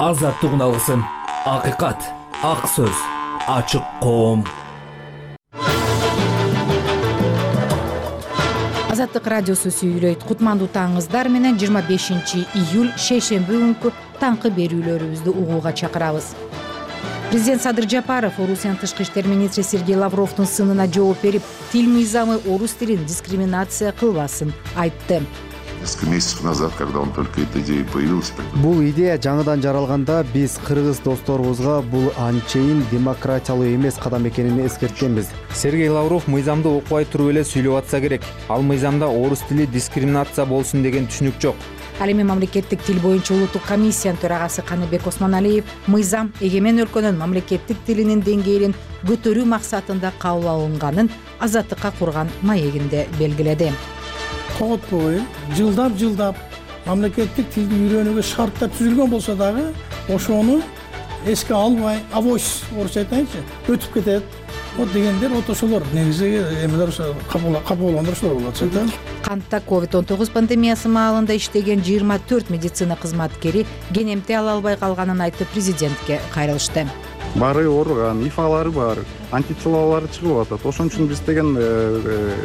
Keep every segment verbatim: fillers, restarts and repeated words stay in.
азаттыгын алгысың. Акыйкат, ак сөз, ачык коом. Азаттык радиосу сүйүлөйт. Кутмандуу таңыңыздар менен жыйырма бешинчи июль шейшемби күнкү таңкы берүүлөрүбүздү угууга чакырабыз. Президент Садыр Жапаров Орусиянын тышкы иштер министри Сергей Лавровдун сынына жооп берип, тил мыйзамы орус тилин дискриминация кылбасын айтты. Несколько месяцев назад, когда он только эта идея появилась, бул идея жаңыдан жаралганда биз кыргыз досторубузга бул анчейин демократиялуу эмес кадам экенин эскерткенбиз. Сергей Лавров мыйзамды окубай туруп эле сүйлөп атса керек. Ал мыйзамда орус тили дискриминация болсун деген түшүнүк жок. Ал эми мамлекеттик тил боюнча улуттук комиссиянын төрагасы Каныбек Осмоналиев мыйзам эгемен өлкөнүн мамлекеттик тилинин деңгээлин көтөрүү максатында кабыл алынганын азаттыкка курган маегинде белгиледи. Код бою жылдап жылдап мамлекеттик тилди үйрөнүүгө шарттар түзүлгөн болсо дагы ошону эске албай, авось орусча айтайынчы, өтүп кетет. Вот дегендер вот ошолор негизи эмелер кабыл алгандыр ошолор болот да. Кантта ковид он тогуз пандемиясы маалында иштеген жыйырма төрт медицина кызматкери кенемте ала албай калганын айтып президентке кайрылышты. Бары ооруган, ифалары бар, антителалары чыгып атат. Ошон үчүн биз деген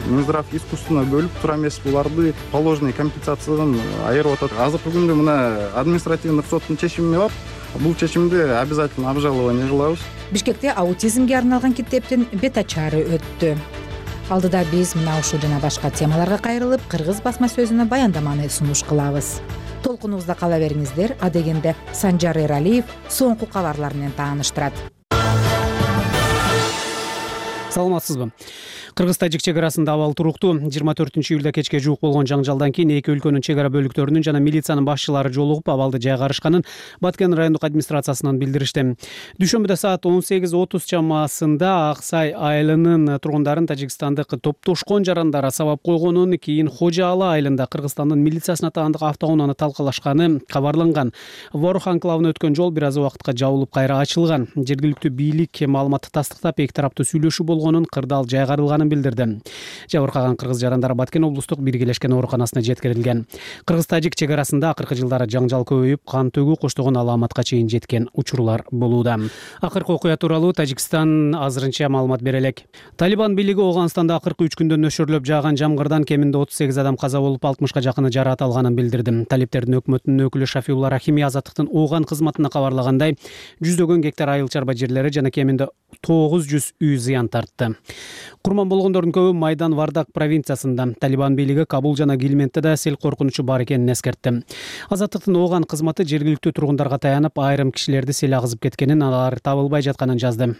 Минздрав искусственно бөлүп тура эмес буларды положенный компенсациядан айырып атат. Азыркы күндө мына административдик соттун чечими бар. Бул чечимди обязательно обжалование кылабыз. Бишкекте аутизмге арналган китептин бет ачары өттү. Алдыда биз мына ушул жана башка темаларга кайрылып, кыргыз басма сөзүнө баяндаманы сунуш кылабыз. Толкунубузда кала бериңиздер. Адегенде Санжар Эралиев соңку кабарлар менен тааныштырат. Саламатсызбы? Кыргыз-Тажик чек арасында абал туруктуу. жыйырма төртүнчү июлда кечке жуук болгон жаңжалдан кийин эки өлкөнүн чек ара бөлүктөрүнүн жана милициянын башчылары жолугуп абалды жайгарышканын Баткен райондук администрациясынан билдиришти. Дүйшөмбүдө саат он сегиз отуз чамасында Ак Сай айылынын тургундарын тажикстандык топтошкон жарандар сабап койгонун, кийин Хожа Ала айылында Кыргызстандын милициясына таандык автоунааны талкалашканы кабарланган. Ворух анклавына өткөн жол бир аз убакытка жабылып кайра ачылган. Жергиликтүү бийлик маалыматты тастыктап эки тараптуу сүйлөшүү болгонун, кырдаал жайгарылганын билдирди. Жабыркаган кыргыз жарандары Баткен облустук биргелешкен ооруканасына жеткирилген. Кыргыз-Тажик чек арасында акыркы жылдары жаңжал көбөйүп, кан төгүү коштогон аламатка чейин жеткен учурлар болууда. Акыркы окуя тууралуу Тажикстан азырынча маалымат бере элек. Талибан бийлиги Ооганстанда акыркы үч күндө нөшөрлөп жааган жамгырдан кеминде отуз сегиз адам каза болуп, алтымышка жакыны жараат алганын билдирди. Талиптердин өкмөтүнүн өкүлү Шафиулла Рахими Азаттыктын Ооган кызматына кабарлагандай, жүздөгөн гектар айыл чарба жерлери жана кеминде тогуз жүз үй зыян тартты. Курман болгондордун көбү Майдан Вардак провинциясында. Талибан бийлиги Кабул жана Гилментте да сел коркунучу бар экенин эскертти. Азаттыктын Ооган кызматы жергиликтүү тургундарга таянып, айрым кишилерди сел агызып кеткенин, алар табылбай жатканын жазды.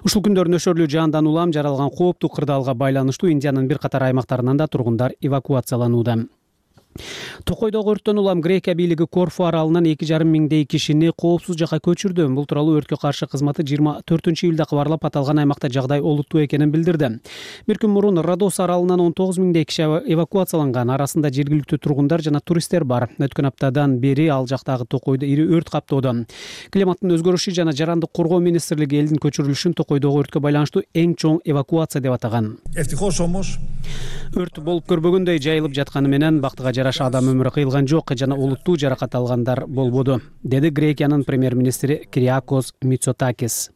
Ушул күндөрү нөшөрлүү жаандан улам жаралган кооптуу кырдаалга байланыштуу Индиянын бир катар аймактарынан да тургундар эвакуацияланууда. Токойдогу өрттөн улам Грекия бийлиги Корфу аралынан эки жарым миңдей кишини коопсуз жакка көчүрдү. Бул тууралуу өрткө каршы кызматы жыйырма төртүнчү июлда кабарлап, аталган аймакта жагдай олуттуу экенин билдирди. Бир күн мурун Родос аралынан он тогуз миңдей киши эвакуацияланган. Арасында жергиликтүү тургундар жана туристтер бар. Өткөн аптадан бери ал жактагы Токойдо ири өрт каптоодо. Климаттын өзгөрүшү жана жарандык коргоо министрлиги элдин көчүрүлүшүн Токойдогу өрткө байланыштуу эң чоң эвакуация деп атаган. Өрт болуп көрбөгөндөй жайылып жатканы менен бактыга жараша адам өмүрү кыйылган жок жана олуттуу жаракат алгандар болбоду, деди Грекиянын премьер-министри Кириакос Мицотакис.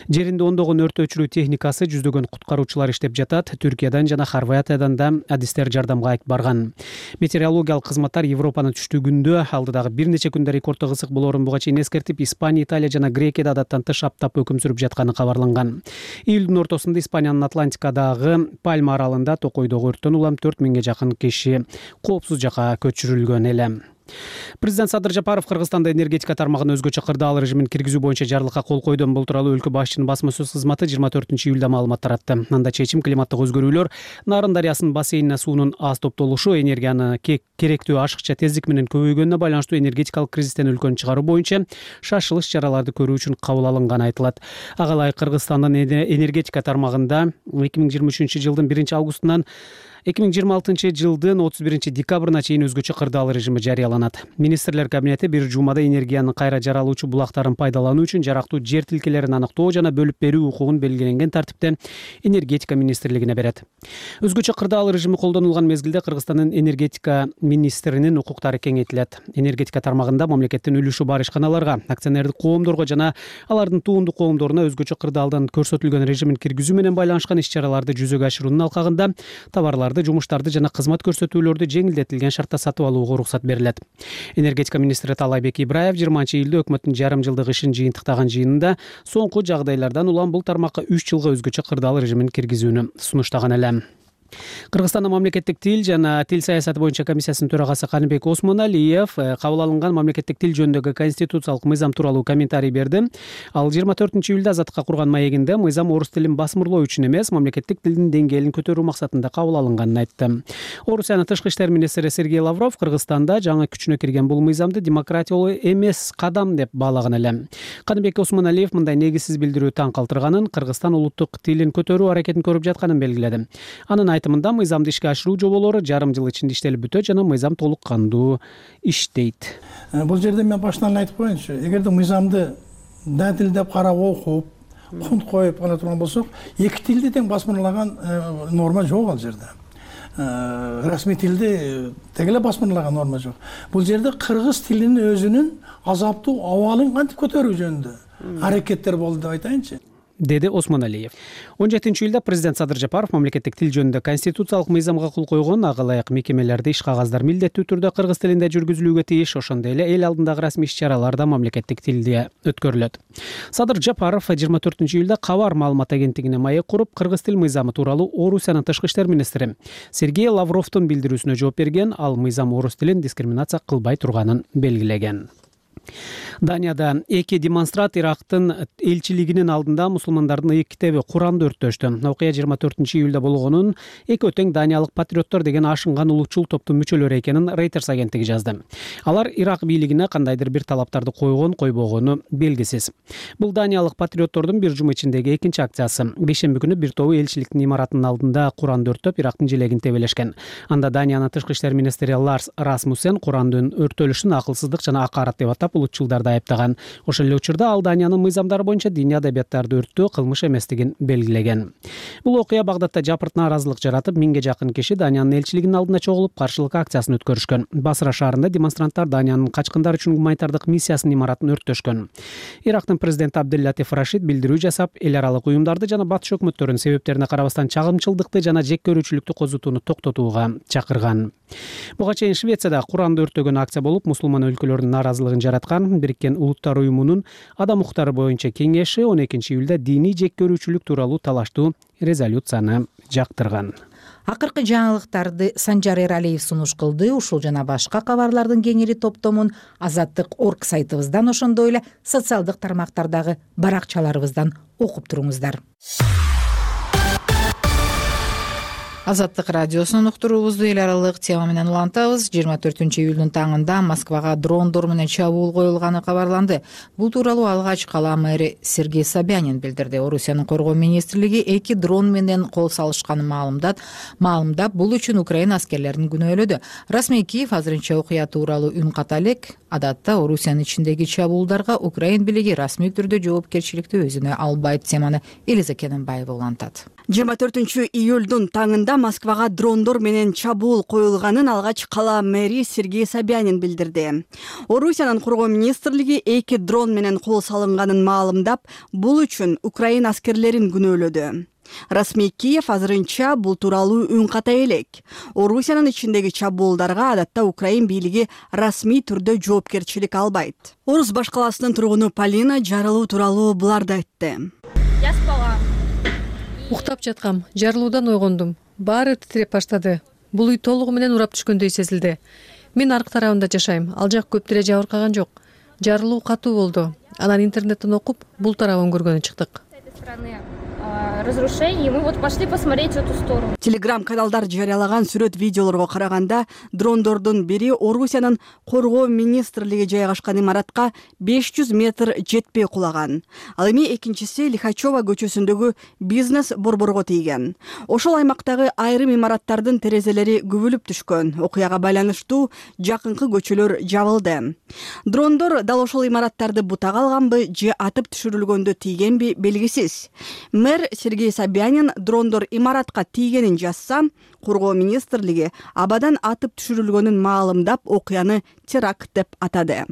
Жеринде ондогон өрт өчүрүү техникасы, жүздөгөн куткаруучулар иштеп жатат. Түркиядан жана Хорватиядан да адистер жардамга барган. Метеорологиялык кызматтар Европанын түштүгүндө алдыдагы бир нече күндө рекорддук ысык болоорун буга чейин эскертип, Испания, Италия жана Грекияда адаттан тыш аптап өкүм сүрүп жатканы кабарланган. Июлдун ортосунда Испаниянын Атлантикадагы Пальма аралында Токойдогу өрттөн улам төрт миңге жакын киши коопсуз жакка көчүрүлгөн эле. Президент Садыр Жапаров Кыргызстанда энергетика тармагын өзгөчө кырдаал режимин киргизүү боюнча жарлыкка кол койду. Бул тууралуу өлкө башчынын басма сөз кызматы жыйырма төртүнчү июлда маалымат таратты. Анда чечим климаттык өзгөрүүлөр, Нарын дарыясынын бассейнине суунун аз топтолушу, энергияны керектүү ашыкча тездик менен көбөйгөнүнө байланыштуу энергетикалык кризистен өлкөнү чыгаруу боюнча шашылыш чараларды көрүү үчүн кабыл алынганы айтылат. Ага ылайык Кыргызстандын энергетика тармагында эки миң жыйырма үчүнчү жылдын биринчи августунан эки миң жыйырма алтынчы жылдын отуз биринчи декабрына чейин өзгөчө кырдаал режими жарыяланат. Министрлер кабинети бир жумада энергиянын кайра жаралуучу булактарын пайдалануу үчүн жарактуу жер тилкелерин аныктоо жана бөлүп берүү укугун белгиленген тартипте энергетика министрлигине берет. Өзгөчө кырдаал режими колдонулган мезгилде Кыргызстандын энергетика министринин укуктары кеңейтилет. Энергетика тармагында мамлекеттин үлүшү бар ишканаларга, акционердик коомдорго жана алардын туундуу коомдоруна өзгөчө кырдаалдан көрсөтүлгөн режимин киргизүү менен байланышкан иш-чараларды жүзөгө ашыруунун алкагында товарларды, жумуштарды жана кызмат көрсөтүүлөрдү жеңилдетилген шартта сатып алууга уруксат берилет. Энергетика министри Таалайбек Ибраев жыйырманчы июлда өкмөттүн жарым жылдык ишин жыйынтыктаган жыйынында соңку жагдайлардан улам бул тармакка үч жылга өзгөчө кырдаал режимин киргизүүнү сунуштаган эле. Кыргызстандын мамлекеттик тил жана тил саясаты боюнча комиссиясынын төрагасы Каныбек Осмоналиев кабыл алынган мамлекеттик тил жөнүндөгү конституциялык мыйзам тууралуу комментарий берди. Ал жыйырма төртүнчү июлда Азаттыкка курган маегинде мыйзам орус тилин басмырлоо үчүн эмес, мамлекеттик тилдин деңгээлин көтөрүү максатында кабыл алынганын айтты. Орусиянын тышкы иштер министри Сергей Лавров Кыргызстанда жаңы күчүнө кирген бул мыйзамды демократиялуу эмес кадам деп баалаган эле. Каныбек Осмоналиев мындай негизсиз билдирүү таң калтырганын, Кыргызстан улуттук тилин көтөрүү аракетин көрүп жатканын белгиледи. Анын айтымында мыйзамды ишке ашыруу жоболору жарым жыл ичинде иштелип бүтөт жана мыйзам толук кандуу иштейт. Бул жерде мен башынан айтып коеюнчу, эгерде мыйзамды датилдеп карап окуп, кунт коюп гана турган болсок, эки тилди тең басмырлаган норма жок ал жерде. Расмий тилди тең эле басмырлаган норма жок. Бул жерде кыргыз тилинин өзүнүн азаптуу абалын кантип көтөрүү жөнүндө аракеттер болду деп айтайынчы, деди Осмоналиев. он жетинчи июлда президент Садыр Жапаров мамлекеттик тил жөнүндө конституциялык мыйзамга кол койгон ага ылайык мекемелерде иш кагаздар милдеттүү түрдө кыргыз тилинде жүргүзүлүүгө тийиш, ошондой эле эл алдындагы расмий иш-чаралар да мамлекеттик тилде өткөрүлөт. Садыр Жапаров жыйырма төртүнчү июлда Кабар маалымат агенттигине маек куруп, кыргыз тил мыйзамы тууралуу Орусиянын тышкы иштер министри Сергей Лавровдун билдирүүсүнө жооп берген. Ал мыйзам орус тилин дискриминация кылбай турганын белгилеген. Данияда эки демонстрант Ирактын элчилигинин алдында мусулмандардын ыйык китеби Куранды өрттөштү. Окуя жыйырма төртүнчү июлда болгонун экөө тең даниялык патриоттор деген ашынган улутчул топтун мүчөлөрү экенин Reuters агенттиги жазды. Алар Ирак бийлигине кандайдыр бир талаптарды койгон, койбогону белгисиз. Бул даниялык патриоттордун бир жума ичиндеги экинчи акциясы. Бейшемби күнү бир тобу элчиликтин имаратынын алдында Куранды өрттөп, Ирактын желегин тебелешкен. Анда Даниянын тышкы иштер министри Ларс Расмуссен Курандын өрттөлүшүн акылсыздык жана акарат деп атап улутчулдарды айыптаган. Ошол эле учурда ал Даниянын мыйзамдары боюнча диний адабияттарды өрттөө кылмыш эместигин белгилеген. Бул окуя Багдадта жапырт нааразылык жаратып, миңге жакын киши Даниянын элчилигинин алдына чогулуп, каршылык акциясын өткөрүшкөн. Басра шаарында демонстранттар Даниянын качкындар үчүн гуманитардык миссиясынын имаратын өрттөшкөн. Ирактын президенти Абдел-Латиф Рашид билдирүү жасап, эл аралык уюмдарды жана батыш өкмөттөрүнүн себептерине карабастан чагымчылдыкты жана жек көрүүчүлүктү козутууну токтотууга чакырган. Буга чейин Швецияда Куранды өрттөгөн акция болуп, мусулман өлкөлөрдүн нааразылыгын жараткан Бириккен Улуттар уюмунун адам укуктары боюнча кеңеши он экинчи июлда диний жек көрүүчүлүк тууралуу талаштуу резолюцияны жактырган. Акыркы жаңылыктарды Санжар Эралиев сунуш кылды. Ушул жана башка кабарлардын кеңири топтомун Азаттык точка орг сайтыбыздан, ошондой эле социалдык тармактардагы баракчаларыбыздан окуп туруңуздар. Азаттык радиосунун уктуруубузду эл аралык тема менен улантабыз. жыйырма төртүнчү июлдун таңында Москвага дрондор менен чабуул коюлганы кабарланды. Бул тууралуу алгач кала мэри Сергей Собянин билдирди. Орусиянын коргоо министрлиги эки дрон менен кол салышканын маалымдап, маалымдап, бул үчүн Украина аскерлерин күнөөлөдү. Расмий Киев азырынча окуя тууралуу үн ката элек. Адатта Орусиянын ичиндеги чабуулдарга Украин бийлиги расмий түрдө жоопкерчиликти өзүнө албайт. Теманы Элиза Кененбаева улантат. жыйырма төртүнчү июлдун таңында Москвага дрондор менен чабуул коюлганын алгач кала мэри Сергей Собянин билдирди. Орусиянын коргоо министрлиги эки дрон менен кол салынганын маалымдап, бул үчүн Украина аскерлерин күнөөлөдү. Расмий Киев азырынча бул тууралуу үн ката элек. Орусиянын ичиндеги чабуулдарга адатта Украин бийлиги расмий түрдө жоопкерчилик албайт. Орус баш каласынын тургуну Полина жарылуу тууралуу буларды айтты. Уктап жаткам, жарылуудан ойгондум. Баары титиреп баштады. Бул үй толугу менен урап түшкөндөй сезилди. Мен аркы тарабында жашайм. Ал жак көп деле жабыркаган жок. Жарылуу катуу болду. Анан интернеттен окуп, бул тарабын көргөнү чыктык. разрушений, и мы вот пошли посмотреть в эту сторону. Телеграм каналдар жарыялаган сүрөт видеолорго караганда дрондордун бири Орусиянын коргоо министрлиги жайгашкан имаратка беш жүз метр жетпей кулаган. Ал эми экинчиси Лихачева көчөсүндөгү бизнес борборго тийген. Ошол аймактагы айрым имараттардын терезелери күбүлүп түшкөн. Окуяга байланыштуу жакынкы көчөлөр жабылды. Дрондор дал ошол имараттарды бутага алганбы же атып түшүрүлгөндө тийгенби белгисиз. Мэр Сергей Собянин дрондор имаратка тийгенин жазса, коргоо министрлиги абадан атып түшүрүлгөнүн маалымдап окуяны теракт деп атады.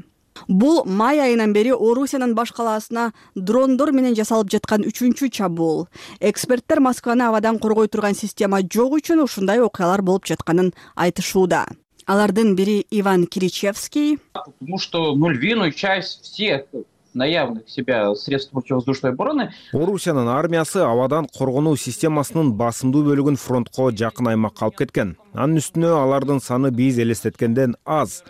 Бул май айынан бери Орусиянын баш калаасына дрондор менен жасалып жаткан үчүнчү чабуул. Эксперттер Москваны абадан коргой турган система жок үчүн ушундай окуялар болуп жатканын айтышууда. Алардын бири Иван Киричевский. Потому что ну, львиную часть всех наявных себя средств противовоздушной обороны. Орусиянын армиясы абадан коргонуу системасынын басымдуу бөлүгүн фронтко жакын аймакка алып кеткен. Анын үстүнө алардын саны биз элестеткенден аз.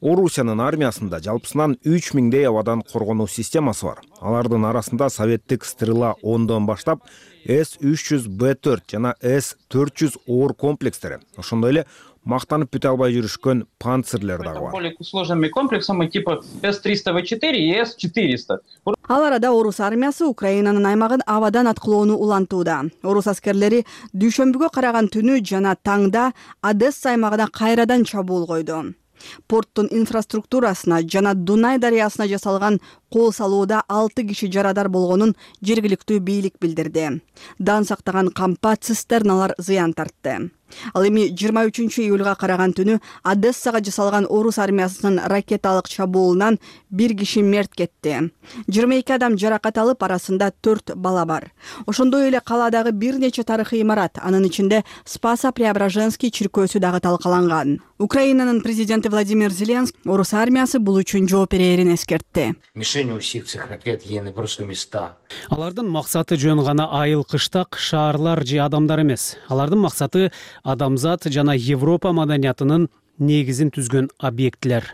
Орусиянын армиясында жалпысынан үч миңдей абадан коргонуу системасы бар. Алардын арасында советтик Стрела ондон баштап эс үч жүз бэ төрт жана эс төрт жүз оор комплекстери, ошондой эле мактанып бүтө албай жүрүшкөн панцирлер дагы бар. Более сложными комплексами типа эс триста вэ четыре и эс четыреста. Ал арада орус армиясы Украинанын аймагын абадан аткылоону улантууда. Орус аскерлери дүйшөмбүгө караган түнү жана таңда Одесса аймагына кайрадан чабуул койду. Порттун инфраструктурасына жана Дунай дарыясына жасалган кол салууда алты киши жарадар болгонун жергиликтүү бийлик билдирди. Дан сактаган кампа цистерналар зыян тартты. Ал эми жыйырма үчүнчү июлга караган түнү Одессага жасалган орус армиясынын ракеталык чабуулунан бир киши мерт кетти. жыйырма эки адам жаракат алып, арасында төрт бала бар. Ошондой эле калаадагы бир нече тарыхый имарат, анын ичинде Спасо-Преображенский чиркөөсү дагы талкаланган. Украинанын президенти Владимир Зеленский орус армиясы бул үчүн жооп берерин эскертти. Мишень у всех цих ракет ены просто места. Алардын максаты жөн гана айыл кыштак шаарлар же адамдар эмес. Алардын максаты адамзат жана Европа маданиятынын негизин түзгөн объектилер.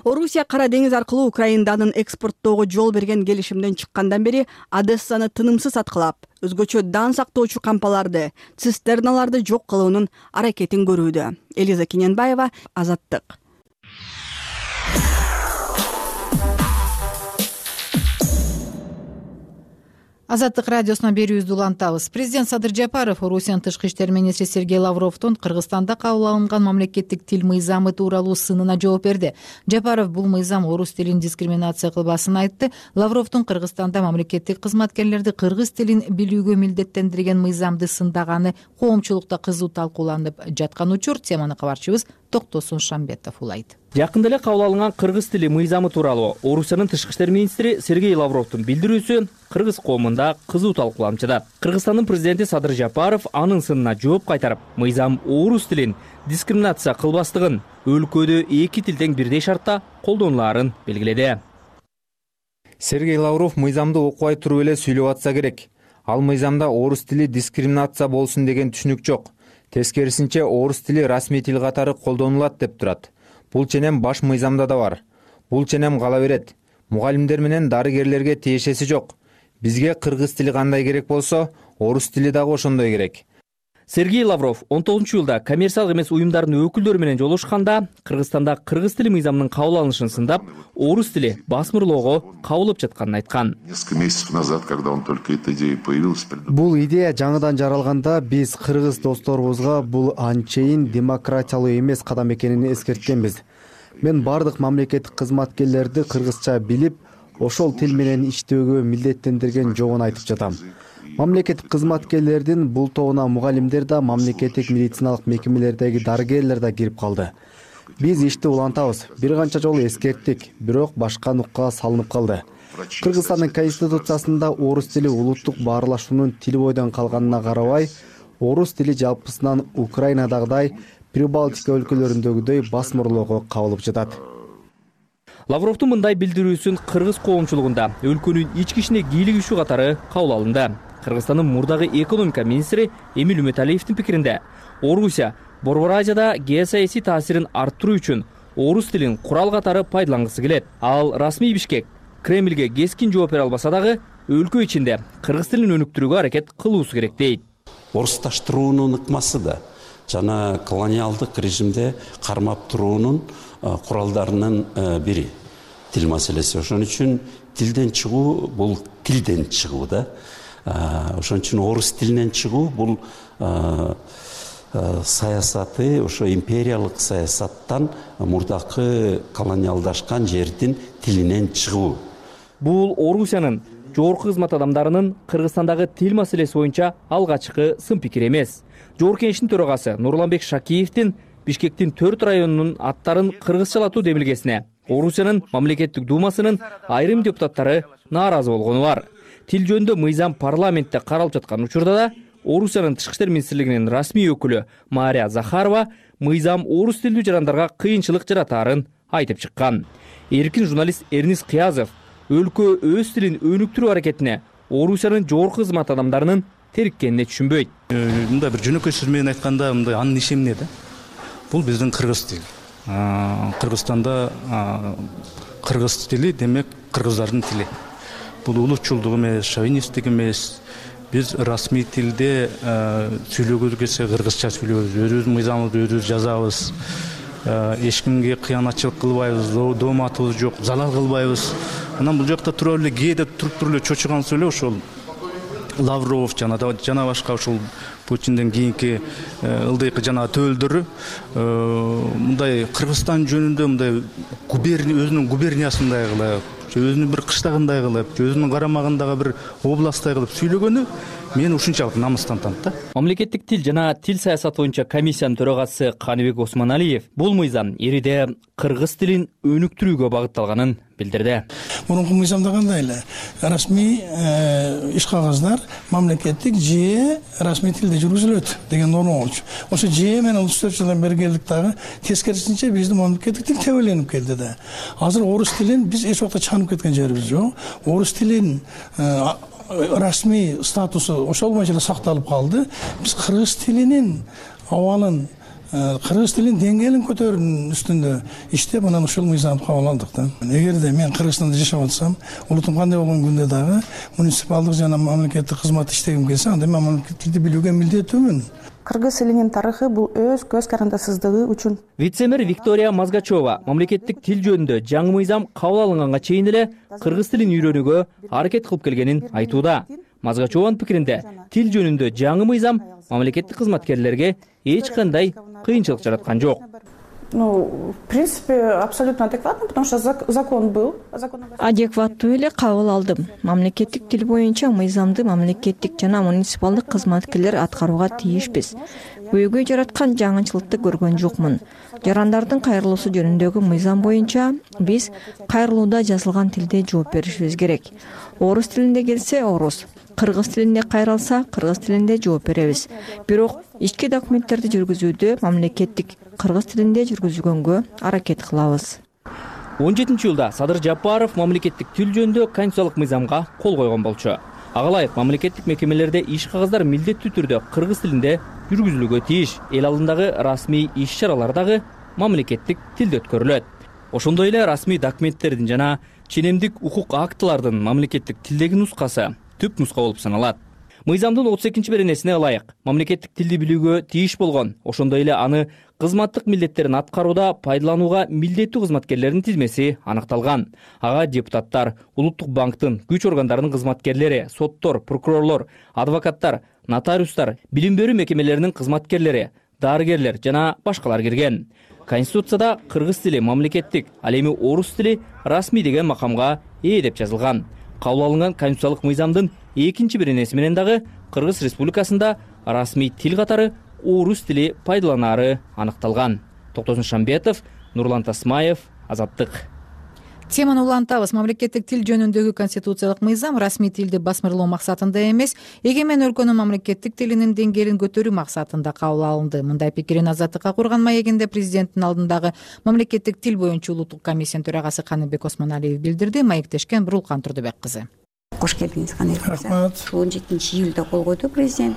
Орусия Кара деңиз аркылуу Украинанын экспорттоого жол берген келишимден чыккандан бери Одессаны тынымсыз аткылап, өзгөчө дан сактоочу кампаларды, цистерналарды жок кылуунун аракетин көрүүдө. Элиза Кененбаева, Азаттык. Азаттык радиосуна берүүбүздү улантабыз. Президент Садыр Жапаров Орусиянын тышкы иштер министри Сергей Лавровдун Кыргызстанда кабыл алынган мамлекеттик тил мыйзамы тууралуу сынына жооп берди. Жапаров бул мыйзам орус тилин дискриминация кылбасын айтты. Лавровдун Кыргызстанда мамлекеттик кызматкерлерди кыргыз тилин билүүгө милдеттендирген мыйзамды сындаганы коомчулукта кызуу талкууланып жаткан учур. Теманы кабарчыбыз Токтосун Шамбетов улайт. Жакында эле кабыл алынган кыргыз тили мыйзамы тууралуу Орусиянын тышкы иштер министри Сергей Лавровдун билдирүүсү кыргыз коомунда кызуу талкууланып жатат. Кыргызстандын президенти Садыр Жапаров анын сынына жооп кайтарып, мыйзам орус тилин дискриминация кылбастыгын, өлкөдө эки тил тең бирдей шартта колдонулаарын белгиледи. Сергей Лавров мыйзамды окубай туруп эле сүйлөп атса керек. Ал мыйзамда орус тили дискриминация болсун деген түшүнүк жок. Тескерисинче орус тили расмий тил катары колдонулат деп турат. Бул ченем баш мыйзамда да бар. Бул ченем кала берет. Мугалимдер менен дарыгерлерге тиешеси жок. Бизге кыргыз тили кандай керек болсо, орус тили дагы ошондой керек. Сергей Лавров он тогузунчу жылда коммерциялык эмес уюмдардын өкүлдөрү менен жолугушканда Кыргызстанда кыргыз тили мыйзамынын кабыл алынышын сындап, орус тили басмырлоого кабылып жатканын айткан. Несколько месяцев назад, когда он только эта идея появилась, бул идея жаңыдан жаралганда биз кыргыз досторубузга бул анчейин демократиялуу эмес кадам экенин эскерткенбиз. Мен бардык мамлекеттик кызматкерлерди кыргызча билип, ошол тил менен иштөөгө милдеттендирген жогун айтып жатам. Мамлекеттик кызматкерлердин бул тобуна мугалимдер да, мамлекеттик медициналык мекемелердеги дарыгерлер да кирип калды. Биз ишти улантабыз. Бир канча жолу эскерттик, бирок башка нукка салынып калды. Кыргызстандын конституциясында орус тили улуттук баарлашуунун тил бойдон калганына карабай, орус тили жалпысынан Украинадагыдай Прибалтика өлкөлөрүндөгүдөй басмырлоого кабылып жатат. Лавровдун мындай билдирүүсүн кыргыз коомчулугунда өлкөнүн ички ишине кийлик ишүү катары кабыл алынды. Кыргызстандын мурдагы экономика министри Эмиль Үмөталиевдин пикиринде, Орусия Борбор Азияда геосаясий таасирин арттыруу үчүн орус тилин курал катары пайдалангысы келет. Ал расмий Бишкек Кремльге кескин жооп бере албаса дагы, өлкө ичинде кыргыз тилин өнүктүрүүгө аракет кылуусу керек дейт. Орусташтыруунун ыкмасы да жана колониалдык режимде кармап туруунун куралдарынын бири тил маселеси. Ошон үчүн тилден чыгуу бул тилден чыгуу да. Ошон үчүн орус тилинен чыгуу бул саясаты ошо империялык саясаттан мурдакы колониалдашкан жердин тилинен чыгуу. Бул Орусиянын жогорку кызмат адамдарынын Кыргызстандагы тил маселеси боюнча алгачкы сын пикир эмес. Жогорку кеңештин төрагасы Нурланбек Шакиевдин Бишкектин төрт районунун аттарын кыргызчалатуу демилгесине Орусиянын мамлекеттик думасынын айрым депутаттары нааразы болгону бар. Тил жөнүндө мыйзам парламентте каралып жаткан учурда да Орусиянын тышкы иштер министрлигинин расмий өкүлү Мария Захарова мыйзам орус тилдүү жарандарга кыйынчылык жаратаарын айтып чыккан. Эркин журналист Эрнис Кыязов өлкө өз тилин өнүктүрүү аракетине Орусиянын жогорку кызмат адамдарынын териккенине түшүнбөйт. Мындай бир жөнөкөй сөз менен айтканда, мындай анын иши эмне да? Бул биздин кыргыз тили. Кыргызстанда кыргыз тили демек кыргыздардын тили. Бул улутчулдук эмес, шовинисттик эмес. Биз расмий тилде сүйлөгүбүз келсе кыргызча сүйлөйбүз, өзүбүздүн мыйзамыбызды өзүбүз жазабыз. Эч кимге кыянатчылык кылбайбыз, дооматыбыз жок, залал кылбайбыз. Анан бул жакта туруп эле кээде туруп туруп эле чочугансыз эле ошол Лавров жана жана башка ошол Путинден кийинки ылдыйкы жана төөлдөрү мындай Кыргызстан жөнүндө мындай губерния өзүнүн губерниясындай кылып, өзүнүн бир кыштагындай кылып, өзүнүн карамагындагы бир областтай кылып сүйлөгөнү мени ушунчалык намыстантат да. Мамлекеттик тил жана тил саясаты боюнча комиссиянын төрагасы Каныбек Осмоналиев бул мыйзам эриде кыргыз тилин өнүктүрүүгө багытталганын билдирди. Мурунку мыйзамда кандай эле расмий иш кагаздар мамлекеттик же расмий тилде жүргүзүлөт деген норма болчу. Ошо же менен отуз төрт жылдан бери келдик дагы тескерисинче биздин мамлекеттик тил тебеленип келди да. Азыр орус тилин биз эч убакта чанып кеткен жерибиз жок. Орус тилин расмий статусу ошол боюнча эле сакталып калды. Биз кыргыз тилинин абалын, кыргыз тилинин деңгээлин көтөрүүнүн үстүндө иштеп, анан ушул мыйзамды кабыл алдык да. Эгерде мен Кыргызстанда жашап атсам, улутум кандай болгон күндө дагы муниципалдык жана мамлекеттик кызмат иштегим келсе, анда мен мамлекеттик тилди билүүгө милдеттүүмүн. Кыргыз тилинин тарыхы бул өз көз карандысыздыгы үчүн. Вице-мэр Виктория Мазгачева мамлекеттик тил жөнүндө жаңы мыйзам кабыл алынганга чейин эле кыргыз тилин үйрөнүүгө аракет кылып келгенин айтууда. Мазгачеванын пикиринде тил жөнүндө жаңы мыйзам мамлекеттик кызматкерлерге эч кандай кыйынчылык жараткан жок. Ну, в принципе, абсолютно адекватно, потому что закон был. Адекваттуу эле кабыл алдым. Мамлекеттик тил боюнча мыйзамды мамлекеттик жана муниципалдык кызматкерлер аткарууга тийишпиз. Өйгөй жараткан жаңычылыкты көргөн жокмун. Жарандардын кайрылуусу жөнүндөгү мыйзам боюнча биз кайрылууда жазылган тилде жооп беришибиз керек. Орус тилинде келсе орус, кыргыз тилинде кайралса кыргыз тилинде жооп беребиз. Бирок ички документтерди жүргүзүүдө мамлекеттик кыргыз тилинде жүргүзгөнгө аракет кылабыз. он жетинчи июлда Садыр Жапаров мамлекеттик тил жөнүндө конституциялык мыйзамга кол койгон болчу. Ага ылайык мамлекеттик мекемелерде иш кагаздар милдеттүү түрдө кыргыз тилинде жүргүзүлүүгө тийиш. Эл алдындагы расмий иш-чаралар дагы мамлекеттик тилде өткөрүлөт. Ошондой эле расмий документтердин жана ченемдик укук актылардын мамлекеттик тилдеги нускасы түп нуска болуп саналат. Мыйзамдын отуз экинчи беренесине ылайык мамлекеттик тилди билүүгө тийиш болгон, ошондой эле аны кызматтык милдеттерин аткарууда пайдаланууга милдеттүү кызматкерлердин тизмеси аныкталган. Ага депутаттар, Улуттук банктын күч органдарынын кызматкерлери, соттор, прокурорлор, адвокаттар, нотариустар, билим берүү мекемелеринин кызматкерлери, дарыгерлер жана башкалар кирген. Конституцияда кыргыз тили мамлекеттик, ал эми орус тили расмий деген макамга ээ деп жазылган. Кабыл алынган конституциялык мыйзамдын экинчи беренеси менен дагы Кыргыз Республикасында расмий тил катары орус тили пайдаланары аныкталган. Токтосун Шамбетов, Нурлан Тасмаев, Азаттык. Теманы улантабыз. Мамлекеттик тил жөнүндөгү конституциялык мыйзам расмий тилди басмырлоо максатында эмес, эгемен өлкөнүн мамлекеттик тилинин деңгээлин көтөрүү максатында кабыл алынды. Мындай пикирин Азаттыкка курган маегинде президенттин алдындагы мамлекеттик тил боюнча улуттук комиссиянын төрагасы Каныбек Осмоналиев билдирди. Маектешкен Бурулкан Турдубек кызы. Кош келдиңиз, Каныбек мырза. он жетинчи июлда кол койду президент.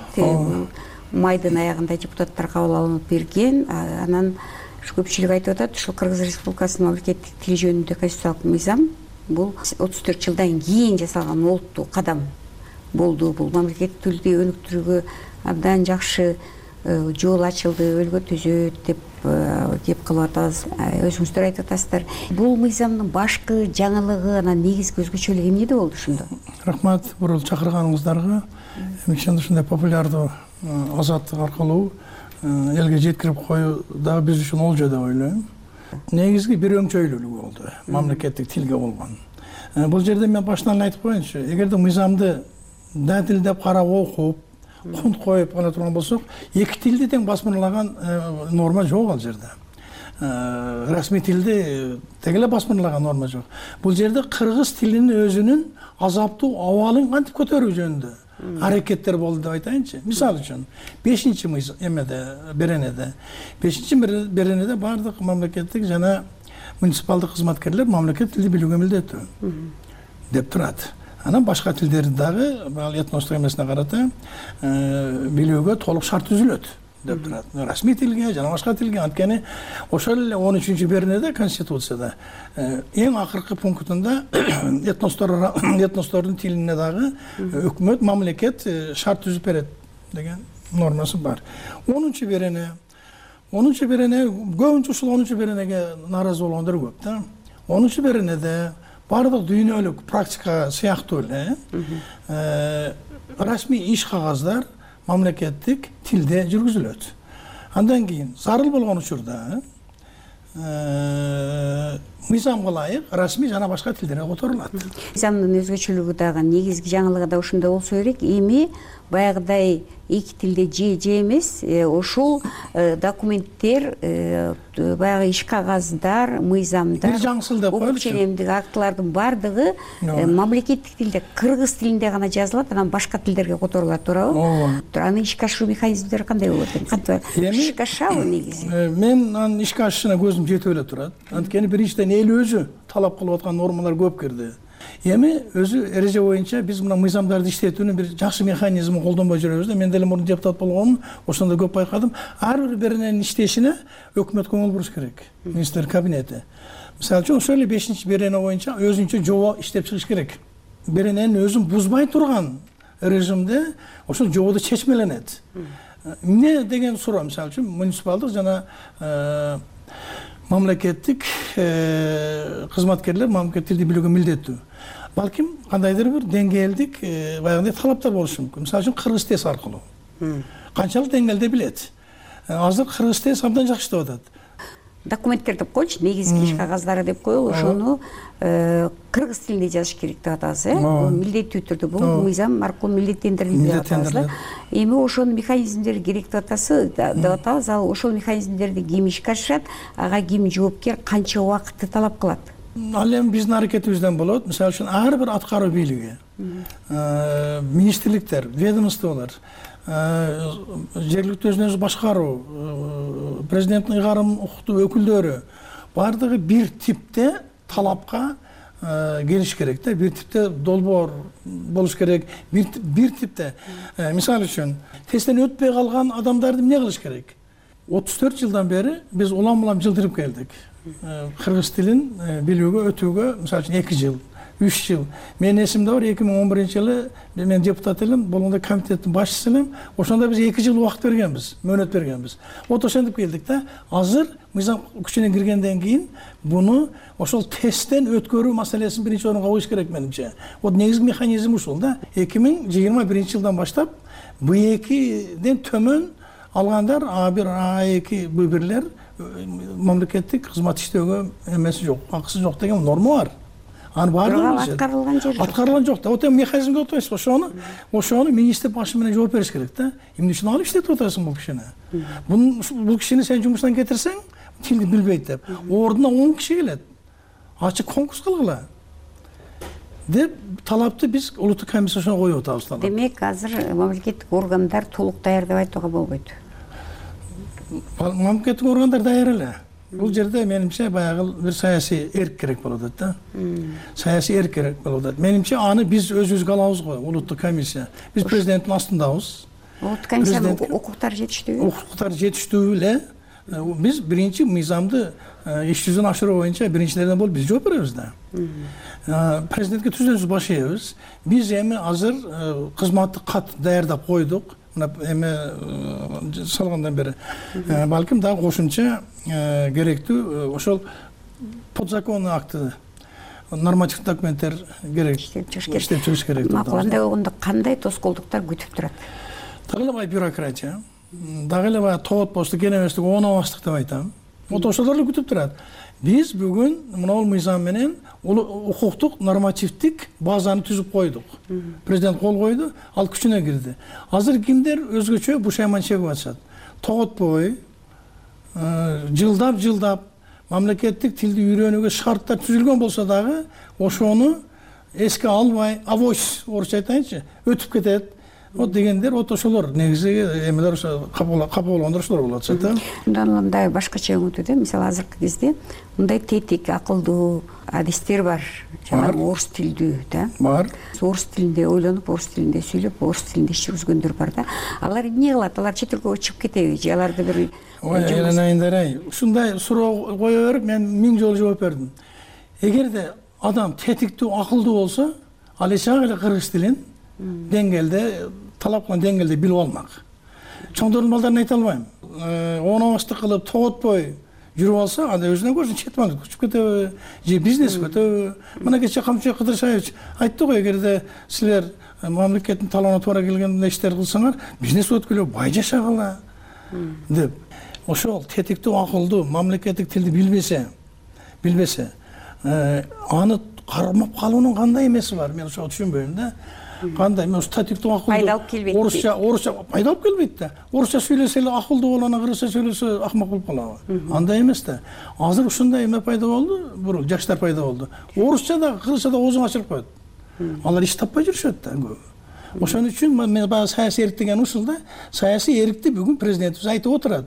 Майдын аягында депутаттар кабыл алынып берген. Анан көпчүлүк айтып атат, ушул Кыргыз Республикасынын мамлекеттик тил жөнүндө конституциялык мыйзам бул отуз төрт жылдан кийин жасалган олуттуу кадам болду. Бул мамлекеттик тилди өнүктүрүүгө абдан жакшы жол ачылды, өлгө түзөт деп кеп кылып атабыз. Өзүңүздөр айтып атасыздар. Бул мыйзамдын башкы жаңылыгы, анан негизги өзгөчөлүгү эмнеде болду ошондо? Рахмат бул чакырганыңыздарга. Ошондой ушундай популярдуу азаттык аркылуу элге жеткирип коюу дагы биз үчүн олжо деп ойлойм. Негизги бир өңчөйлүүлүгү болду мамлекеттик тилге болгон. Бул жерде мен башынан айтып коеюнчу, эгерде мыйзамды дадилдеп карап окуп, кунт коюп кана турган болсок, эки тилди тең басмырлаган норма жок ал жерде. Расмий тилди тең эле басмырлаган норма жок. Бул жерде кыргыз тилинин өзүнүн азаптуу абалын кантип көтөрүү жөнүндө аракеттер болду деп айтайынчы. Мисалы үчүн бешинчи эмеде беренеде бешинчи беренеде баардык мамлекеттик жана муниципалдык кызматкерлер мамлекеттик тилди билүүгө милдеттүү деп турат. Анан башка тилдерди дагы ал этностук эмесине карата билүүгө толук шарт түзүлөт деп турат. Расмий тилге жана башка тилге. Анткени ошол эле он үчүнчү беренеде конституцияда эң акыркы пунктунда этностор этностордун тилине дагы өкмөт мамлекет шарт түзүп берет деген нормасы бар. онунчу берене онунчу берене көбүнчө ушул онунчу беренеге нааразы болгондор көп да. онунчу беренеде бардык дүйнөлүк практика сыяктуу эле расмий иш кагаздар мамлекеттик тилде жүргүзүлөт. Андан кийин зарыл болгон учурда мыйзамга ылайык расмий жана башка тилдерге которулат. Мыйзамдын өзгөчөлүгү дагы негизги жаңылыгы да ушундай болсо керек. Эми баягыдай эки тилде же же эмес, ошол документтер, баягы иш кагаздар, мыйзамдар, бир жаңсыл деп коелучу. Ченемдик актылардын бардыгы мамлекеттик тилде, кыргыз тилинде гана жазылат, анан башка тилдерге которулат, туурабы? Аны ишке ашыруу механизмдери кандай болот? Кантип ишке ашабы негизи? Мен анын ишке ашышына көзүм жетип эле турат. Анткени биринчиден эл өзү талап кылып аткан нормалар көп кирди. Эми өзү эреже боюнча биз мына мыйзамдарды иштетүүнүн бир жакшы механизмин колдонбой жүрөбүз да. Мен деле мурун депутат болгонмун, ошондо көп байкадым. Ар бир берененин иштешине өкмөт көңүл буруш керек. Министрлер кабинети. Мисалы үчүн ошол эле бешинчи берене боюнча өзүнчө жобо иштеп чыгыш керек. Берененин өзүн бузбай турган режимде ошол жободу чечмеленет. Эмне деген суроо, мисалы үчүн муниципалдык жана мамлекеттик кызматкерлер мамлекеттик тилди билүүгө милдеттүү. Балким кандайдыр бир деңгээлдик баягындай талаптар болушу мүмкүн. Мисалы үчүн кыргыз тез аркылуу. Канчалык деңгээлде билет. Азыр кыргыз тез абдан жакшы иштеп атат. Документтер деп коелучу, негизги иш кагаздары деп коелу, ошону кыргыз тилинде жазыш керек деп атабыз, э? Бул милдеттүү түрдө, бул мыйзам аркылуу милдеттендирилди деп атабыз да. Эми ошонун механизмдери керек деп атасы деп атабыз. Ал ошол механизмдерди ким ишке ашырат, ага ким жоопкер, канча убакытты талап кылат? Ал эми биздин аракетибизден болот. Мисалы үчүн ар бир аткаруу бийлиги, министрликтер, ведомстволор, жергиликтүү өзүн өзү башкаруу, президенттин ыйгарым укуктуу өкүлдөрү бардыгы бир типте талапка келиш керек да. Бир типте долбоор болуш керек. Бир бир типте. Мисалы үчүн тесттен өтпөй калган адамдарды эмне кылыш керек? отуз төрт жылдан бери биз улам-улам жылдырып келдик. Кыргыз тилин билүүгө өтүүгө мисалы үчүн эки жыл, үч жыл. Менин эсимде бар, эки миң он биринчи жылы мен депутат элем, болгондо комитеттин башчысы элем. Ошондо биз эки жыл убакыт бергенбиз, мөөнөт бергенбиз. Вот ошентип келдик да. Азыр мыйзам күчүнө киргенден кийин буну ошол тесттен өткөрүү маселесин биринчи орунга коюш керек менимче. Вот негизги механизм ушул да. эки миң жыйырма биринчи жылдан баштап Б экиден төмөн алгандар А бир, А эки, Б бирлер мамлекеттик кызмат иштөөгө эмеси жок, акысы жок деген норма бар. Аны баардыгы аткарылган жер жок. Аткарылган жок да. Вот эми механизмге отурсуз, ошону, ошону министр башы менен жооп бериш керек да. Эмне үчүн алып иштетип атасың бул кишини? Бул кишини сен жумуштан кетирсең, тилди билбейт деп. Ордуна он киши келет. Ачык конкурс кылгыла деп талапты биз улуттук комиссияга коюп атабыз талап. Демек, азыр мамлекеттик органдар толук даяр деп айтууга болбойт. Мамлекеттик органдар даяр эле. Бул жерде менимче баягы бир саясий эрк керек болуп атат да. Саясий эрк керек болуп атат. Менимче аны биз өзүбүзгө алабыз го, улуттук комиссия. Биз президенттин астындабыз. Улуттук комиссиянын укуктары жетиштүүбү? Укуктары жетиштүү эле. биз биринчи мыйзамды иш жүзүн ашыруу боюнча биринчилерден болуп биз жооп беребиз да. Президентке түздөн түз баш ийебиз. Биз эми азыр кызматтык кат даярдап койдук. Мына эме салгандан бери балким дагы кошумча керектүү ошол подзаконный акты, нормативдик документтер керек, иштеп чыгыш керек. Макуландай болгондо кандай тоскоолдуктар күтүп турат? Дагы эле бай бюрократия, дагы эле бай тоотпостук, кенебестик, оонобастык деп айтам. Вот ошолор эле күтүп турат. Биз бүгүн мына мыйзам менен укуктук нормативдик базаны түзүп койдук. Президент кол койду, ал күчүнө кирди. Азыр кимдер өзгөчө бушайман чегип атышат. Тоготпой, жылдап-жылдап мамлекеттик тилди үйрөнүүгө шарттар түзүлгөн болсо дагы ошону эске албай, авось орусча айтайынчы, өтүп кетет. Вот дегендер, вот ошолор негизи эмелер капа болгондор ошолор болуп атышат да. Мындан мындай башкача өңүтүүдө, мисалы азыркы кезде мындай тетик, акылдуу адистер бар. Жанагы орус тилдүү да. Бар. Орус тилинде ойлонуп, орус тилинде сүйлөп, орус тилинде иш жүргүзгөндөр бар да. Алар эмне кылат? Алар чет элге чыгып кетеби? Же аларды бир Айнайындар-ай, ушундай суроо кое берип, мен миң жолу жооп бердим. Эгерде адам тетиктүү, акылдуу болсо, ал эч эле кыргыз тилин деңгээлде, талап кылган деңгээлде билип алмак. Чоңдордун балдарын айта албайм. Оонобастык кылып, тоготпой жүрүп алса, анда өзүнөн көрсүн чет мал күчүп кетеби, же бизнес өтөбү. Мына кечээ Камчыбек Кыдыршаевич айтты го, эгерде силер мамлекеттин талабына туура келгенде иштер кылсаңар, бизнес өткүлө, бай жашагыла деп. Ошол тетиктүү, акылдуу, мамлекеттик тилди билбесе, билбесе, аны кармап калуунун кандай эмеси бар? Мен ошого түшүнбөйм да. Кандай мен статиктүү акылдуу пайда алып келбейт. Орусча, орусча пайда алып келбейт да. Орусча сүйлөсө эле акылдуу болот, кыргызча сүйлөсө акмак болуп калабы? Андай эмес да. Азыр ушундай эме пайда болду, бул жаштар пайда болду. Орусча да, кыргызча да оозун ачырып коет. Алар иш таппай жүрүшөт да. Ошон үчүн мен баягы саясий эрк деген ушул да. Саясий эркти бүгүн президентибиз айтып отурат.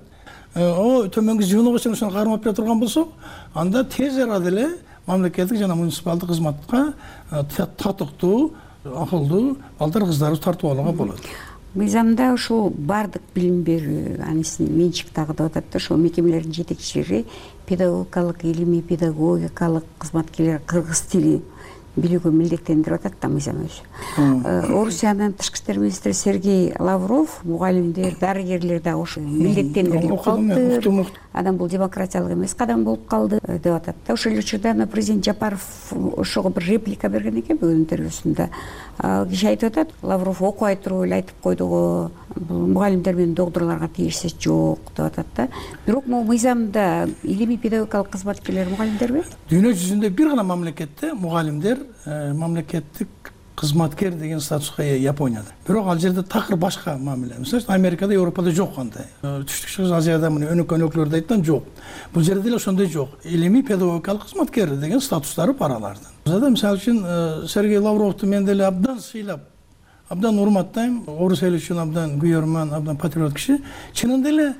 О, төмөнгү жыйынга чейин ошону кармап бере турган болсок, анда тез арада эле мамлекеттик жана муниципалдык кызматка татыктуу, акылдуу балдар кыздарыбыз тартып алууга болот. Мыйзамда ушул бардык билим берүү, анысы менчик дагы деп атат да, ошол мекемелердин жетекчилери педагогикалык, илимий педагогикалык кызматкерлер кыргыз тили билүүгө милдеттендирип атат да мыйзам өзү. Орусиянын тышкы иштер министри Сергей Лавров мугалимдер, дарыгерлер да ошо милдеттендирилип калды. Адам бул демократиялык эмес кадам болуп калды деп атат да. Ошол эле учурда президент Жапаров ошого бир реплика берген экен бүгүн интервьюсунда. Киши айтып атат, Лавров окубай туруп эле айтып койду го, бул мугалимдер менен докторлорго тийиши жок деп атат да. Бирок могу мыйзамда илимий педагогикалык кызматкерлер мугалимдерби? Дүйнө жүзүндө бир гана мамлекетте мугалимдер мамлекеттик кызматкер деген статуска ээ Японияда. Бирок ал жерде такыр башка мамиле. Мисалы Америкада, Европада жок кандай. Түштүк Чыгыш Азияда мына өнөкөн өлкөлөрдө айткан жок. Бул жерде деле ошондой жок. Илимий педагогикалык кызматкер деген статустары бар алардын. Бизде мисалы үчүн Сергей Лавровду мен деле абдан сыйлап, абдан урматтайм. Орус эли үчүн абдан күйөрман, абдан патриот киши. Чынында эле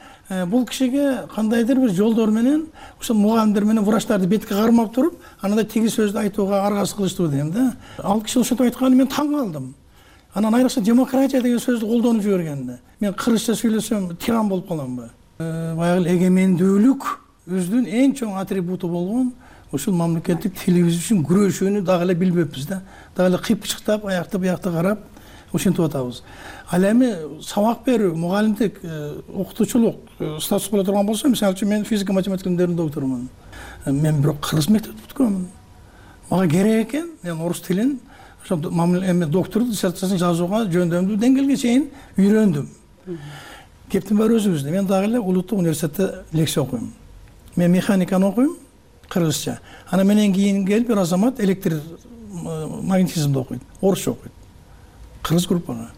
бул кишиге кандайдыр бир жолдор менен ошол мугалимдер менен врачтарды бетке кармап туруп, анандай тиги сөздү айтууга аргасыз кылыштуу дейм да. Ал киши ошентип айтканына мен таң калдым. Анан айрыкча демократия деген сөздү колдонуп жибергенде мен кыргызча сүйлөсөм тиран болуп каламбы? Баягы эгемендүүлүк өзүнүн эң чоң атрибуту болгон ушул мамлекеттик тилибиз үчүн күрөшүүнү дагы эле билбеппиз да. Дагы эле кыйпчыктап, аякты буякты карап ошентип атабыз. Ал эми сабак берүү, мугалимдик, окутуучулук статус боло турган болсо, мисалы үчүн мен физика математикалердин докторумун. Мен бирок кыргыз мектепти бүткөнмүн. Мага керек экен, мен орус тилин, ошо эми доктордук диссертациясын жазууга жөндөмдүү деңгээлге чейин үйрөндүм. Кептин баары өзүбүздө. Мен дагы эле улуттук университетте лекция окуйм. Мен механиканы окуйм, кыргызча. Анан менен кийин келип бир азамат электр магнетизмди окуйт, орусча окуйт. Кыргыз группага.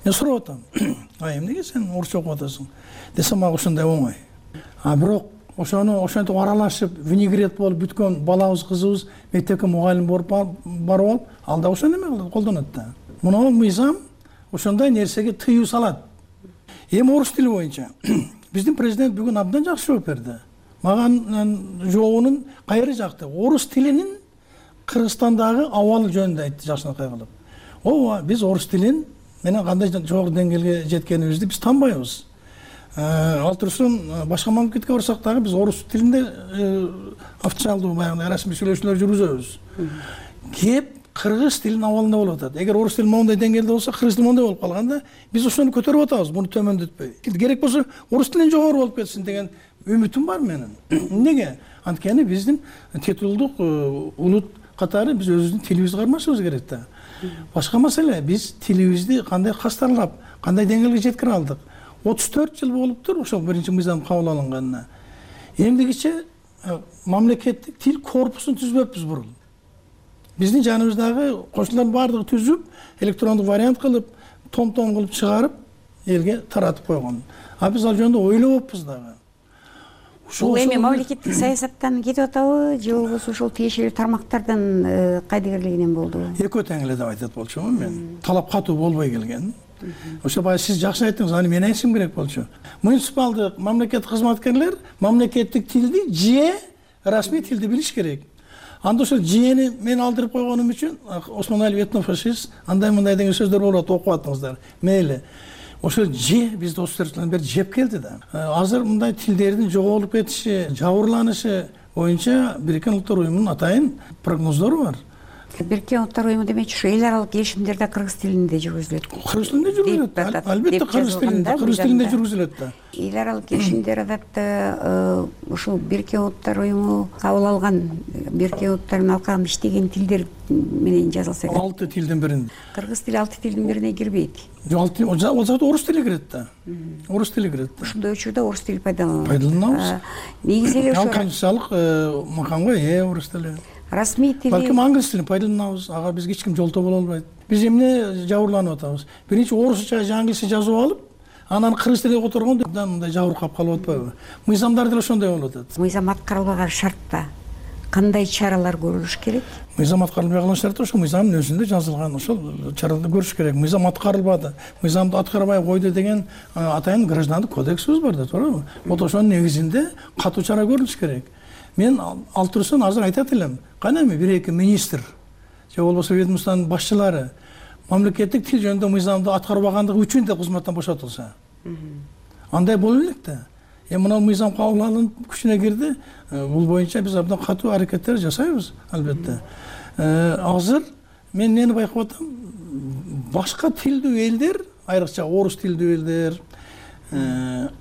Мен сурап атам, ай эмнеге сен орусча окуп атасың? Десем мага ушундай оңой. А бирок ошону ошентип аралашып, винегрет болуп бүткөн балабыз, кызыбыз мектепке мугалим болуп барып алып, ал да ошону эме кылат, колдонот да. Мына мыйзам ошондой нерсеге тыюу салат. Эми орус тили боюнча биздин президент бүгүн абдан жакшы жооп берди. Мага жообунун кайры жакты. Орус тилинин Кыргызстандагы абалы жөнүндө айтты жакшынакай кылып. Ооба, биз орус тилин менен кандай жогору деңгээлге жеткенибизди биз танбайбыз. ал турсун башка мамлекетке барсак дагы биз орус тилинде официалдуу баягы расмий сүйлөшүүлөр жүргүзөбүз. Кеп кыргыз тилинин абалында болуп атат. Эгер орус тили моундай деңгээлде болсо, кыргыз тили моундай болуп калганда, биз ошону көтөрүп атабыз, муну төмөндөтпөй. Керек болсо орус тилинен жогору болуп кетсин деген үмүтүм бар менин. Неге? Анткени биздин титулдук улут катары биз өзүбүздүн тилибизди кармашыбыз керек да. Башка маселе, биз тилибизди кандай кастарлап, кандай деңгээлге жеткире алдык. отуз төрт жыл болуптур ошол биринчи мыйзам кабыл алынганына. Эмдигиче мамлекеттик тил корпусун түзбөппүз бурун. Биздин жаныбыздагы кошуналардын баардыгы түзүп, электрондук вариант кылып, том-том кылып чыгарып, элге таратып койгон. А биз ал жөнүндө ойлобоппуз дагы. Бул эми мамлекеттик саясаттан кетип атабы, же болбосо ошол тиешелүү тармактардан кайдыгерлигинен болдубу? Экөө тең эле деп айтат болчумун мен. Талап катуу болбой келген. Ошо баягы сиз жакшы айттыңыз, аны мен айтышым керек болчу. Муниципалдык мамлекеттик кызматкерлер мамлекеттик тилди же расмий тилди билиш керек. Анда ошол жээни мен алдырып койгонум үчүн Осмоналиев этнофашист андай мындай деген сөздөр болот, окуп аттыңыздар. Мейли. Ошол же бизди отуз төрт жылдан бери жеп келди да. Азыр мындай тилдердин жоголуп кетиши, жабырланышы боюнча Бириккен Улуттар Уюмунун атайын прогноздору бар. Бириккен Улуттар Уюму демекчи ошо эл аралык келишимдер да кыргыз тилинде жүргүзүлөт. Кыргыз тилинде жүргүзүлөт. Албетте кыргыз тилинде, кыргыз тилинде жүргүзүлөт да. Эл аралык келишимдер адатта ушул Бириккен Улуттар Уюму кабыл алган, Бириккен Улуттардын алкагында иштеген тилдер менен жазылса керек. алты тилдин биринде. Кыргыз тили алты тилдин бирине кирбейт. Жок, ал жакта орус тили кирет да. Орус тили кирет да. Ушундай учурда орус тили пайдаланылат. Пайдаланабыз. Негизи эле ошо конституциялык макамга ээ орус тили. Расмий тили. Балким англис тилин пайдаланабыз. Ага бизге эч ким жолтоо боло албайт. Биз эмне жабырланып атабыз? Биринчи орусча же англисче жазып алып, анан кыргыз тилине которгондо мындай жабыркап калып атпайбы? Мыйзамдар деле ошондой болуп атат. Мыйзам аткарылбаган шартта кандай чаралар көрүлүш керек? Мыйзам аткарылбай калган шартта ошол мыйзамдын өзүндө жазылган ошол чараларды көрүш керек. Мыйзам аткарылбады, мыйзамды аткарбай койду деген атайын граждандык кодексибиз бар да, туурабы? Вот ошонун негизинде катуу чара көрүлүш керек. Мен ал турсун азыр айтат элем. Кана эми бир эки министр же болбосо ведомствонун башчылары мамлекеттик тил жөнүндө мыйзамды аткарбагандыгы үчүн да кызматтан бошотулса. Андай боло элек да. Эми мына мыйзам кабыл алынып күчүнө кирди. Бул боюнча биз абдан катуу аракеттер жасайбыз, албетте. Азыр мен эмнени байкап атам? Башка тилдүү элдер, айрыкча орус тилдүү элдер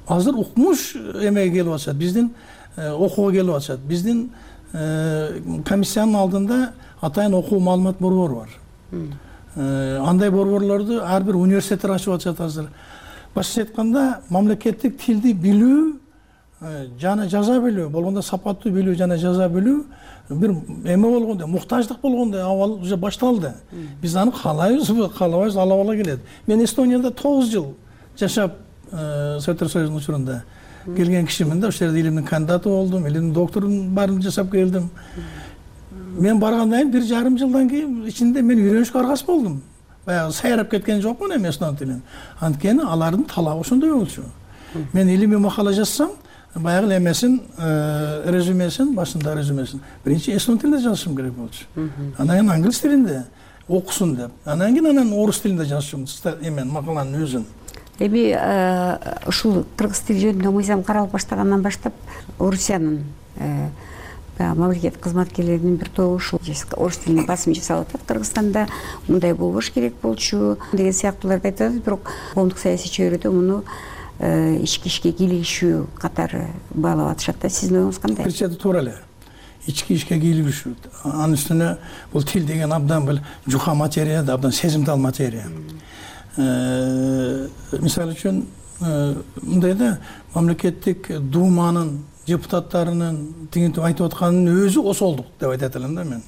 азыр укмуш эмеге келип атышат. Биздин окууга келип атышат. Биздин комиссиянын алдында атайын окуу маалымат борбору бар. Андай борборлорду ар бир университеттер ачып атышат азыр. Башкача айтканда, мамлекеттик тилди билүү жана жаза билүү, болгондо сапаттуу билүү жана жаза билүү бир эме болгондо, муктаждык болгондо абал уже башталды. Биз аны каалайбызбы, каалабайбыз, ала бала келет. Мен Эстонияда тогуз жыл жашап, Советтер Союзунун учурунда келген кишимин да, ошол жерде илимдин кандидаты болдум, илимдин докторун баарын жасап келдим. Мен баргандан кийин бир жарым жылдан кийин ичинде мен үйрөнүшкө аргасыз болдум. Баягы сайрап кеткен жокмун эми эстон тилин. Анткени алардын талабы ошондой болчу. Мен илимий макала жазсам, баягы эмесин, резюмесин, башында резюмесин биринчи эстон тилинде жазышым керек болчу. Анан кийин англис тилинде окусун деп. Анан кийин анан орус тилинде жазышым, эмен макаланын өзүн. Эми ушул кыргыз тили жөнүндө мыйзам каралып баштагандан баштап Орусиянын мамлекет кызматкерлеринин бир тобу ушул орус тилине басым жасап атат. Кыргызстанда мындай болбош керек болчу деген сыяктууларды айтат, бирок коомдук саясий чөйрөдө муну ички ишке кийлигишүү катары баалап атышат да. Сиздин оюңуз кандай? Бир чети туура эле. Ички ишке кийлигишүү. Анын үстүнө бул тил деген абдан бир жука материя да, абдан сезимтал материя. Мисалы үчүн мындай да, мамлекеттик думанын депутаттарынын тигинтип айтып атканынын өзү осолдук деп айтат элем да мен.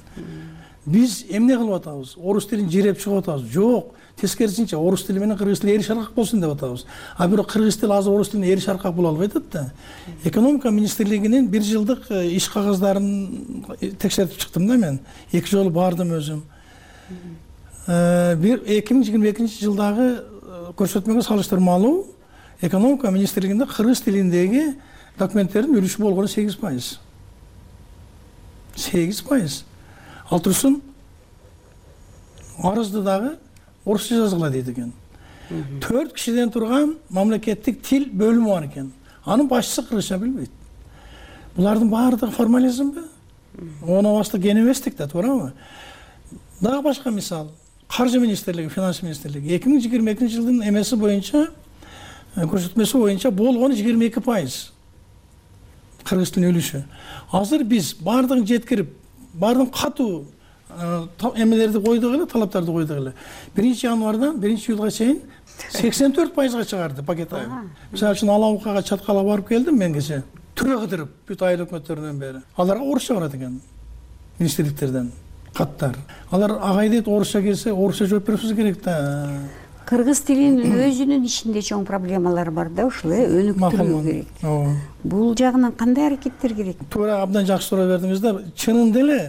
Биз эмне кылып атабыз? Орус тилин жиреп чыгып атабыз? Жок, тескерисинче орус тили менен кыргыз тили эри шаркак болсун деп атабыз. А бирок кыргыз тили азыр орус тилине эри шаркак боло албай атат да. Экономика министрлигинин бир жылдык иш кагаздарын текшертип чыктым да мен. Эки жолу бардым өзүм. Бир эки миң жыйырма экинчи жылдагы көрсөтмөгө салыштырмалуу экономика министрлигинде кыргыз тилиндеги документтердин үлүшү болгону сегиз пайыз. сегиз пайыз. Ал турсун арызды дагы орусча жазгыла дейт экен. төрт кишиден турган мамлекеттик тил бөлүмү бар экен. Анын башчысы кыргызча билбейт. Булардын баардыгы формализмби? Ону басты кен эместик да, туурабы? Дагы башка мисал. Каржы министрлиги, финанс министрлиги эки миң жыйырма экинчи жылдын эмеси боюнча, көрсөтмөсү боюнча болгону жыйырма эки пайыз кыргыз тилинин үлүшү. Азыр биз баардыгын жеткирип, баардыгын катуу эмелерди койдук эле, талаптарды койдук эле. биринчи январдан биринчи июлга чейин сексен төрт пайызга чыгарды пакет айыл. Мисалы үчүн Алабукага чаткала барып келдим мен кече. Түрө кыдырып бүт айыл өкмөттөрүнөн бери. Аларга орусча барат экен. Министрликтерден каттар. Алар агай дейт, орусча келсе, орусча жооп беришибиз керек да. Кыргыз тилинин өзүнүн ичинде чоң проблемалар бар да, ушул өнүктүрүү керек. Бул жагынан кандай аракеттер керек? Туура, абдан жакшы суроо бердиңиз да. Чынында эле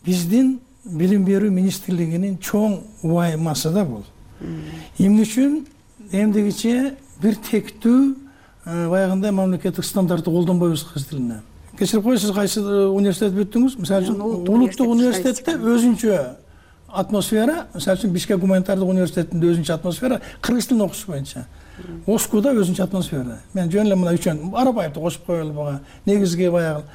биздин билим берүү министрлигинин чоң убаймасы да бул. Эмне үчүн эмдегиче бир тектүү баягындай мамлекеттик стандартты колдонбойбуз кыргыз тилине. Кечирип коесуз, кайсы университет бүттүңүз? Мисалы үчүн улуттук университетте өзүнчө атмосфера, мисалы үчүн Бишкек гуманитардык университетинде өзүнчө атмосфера, кыргыз тилин окуш боюнча. Оскуда өзүнчө атмосфера. Мен жөн эле мына үчөн Арабаевди кошуп коелу буга. Негизги баягы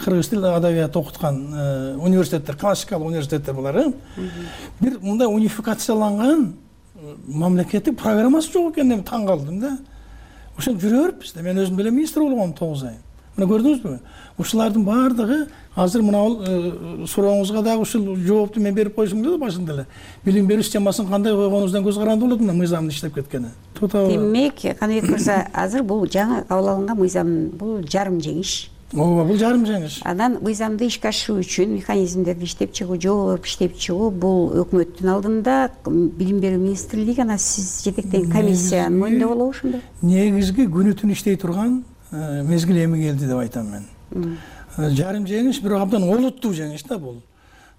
кыргыз тил адабият окуткан университеттер, классикалык университеттер булар. Бир мындай унификацияланган мамлекеттик программасы жок экенин таң калдым да. Ошол жүрө бериппиз да. Мен өзүм деле министр болгом тогуз ай. Мына көрдүңүзбү? Ушулардын баардыгы азыр мына сурооңузга дагы ушул жоопту мен берип койсом деле башында эле. Билим берүү системасын кандай койгонубуздан көз каранды болот мына мыйзамдын иштеп кеткени. Демек, Каныбек мырза, азыр бул жаңы кабыл алынган мыйзам бул жарым жеңиш. Ооба, бул жарым жеңиш. Анан мыйзамды ишке ашыруу үчүн механизмдерди иштеп чыгуу, жол берип иштеп чыгуу бул өкмөттүн алдында билим берүү министрлиги, анан сиз жетектеген комиссиянын мойнунда болобу ошондо? Негизги күнү түн иштей турган мезгил эми келди деп айтам мен. Жарым жеңиш, бирок абдан олуттуу жеңиш да бул.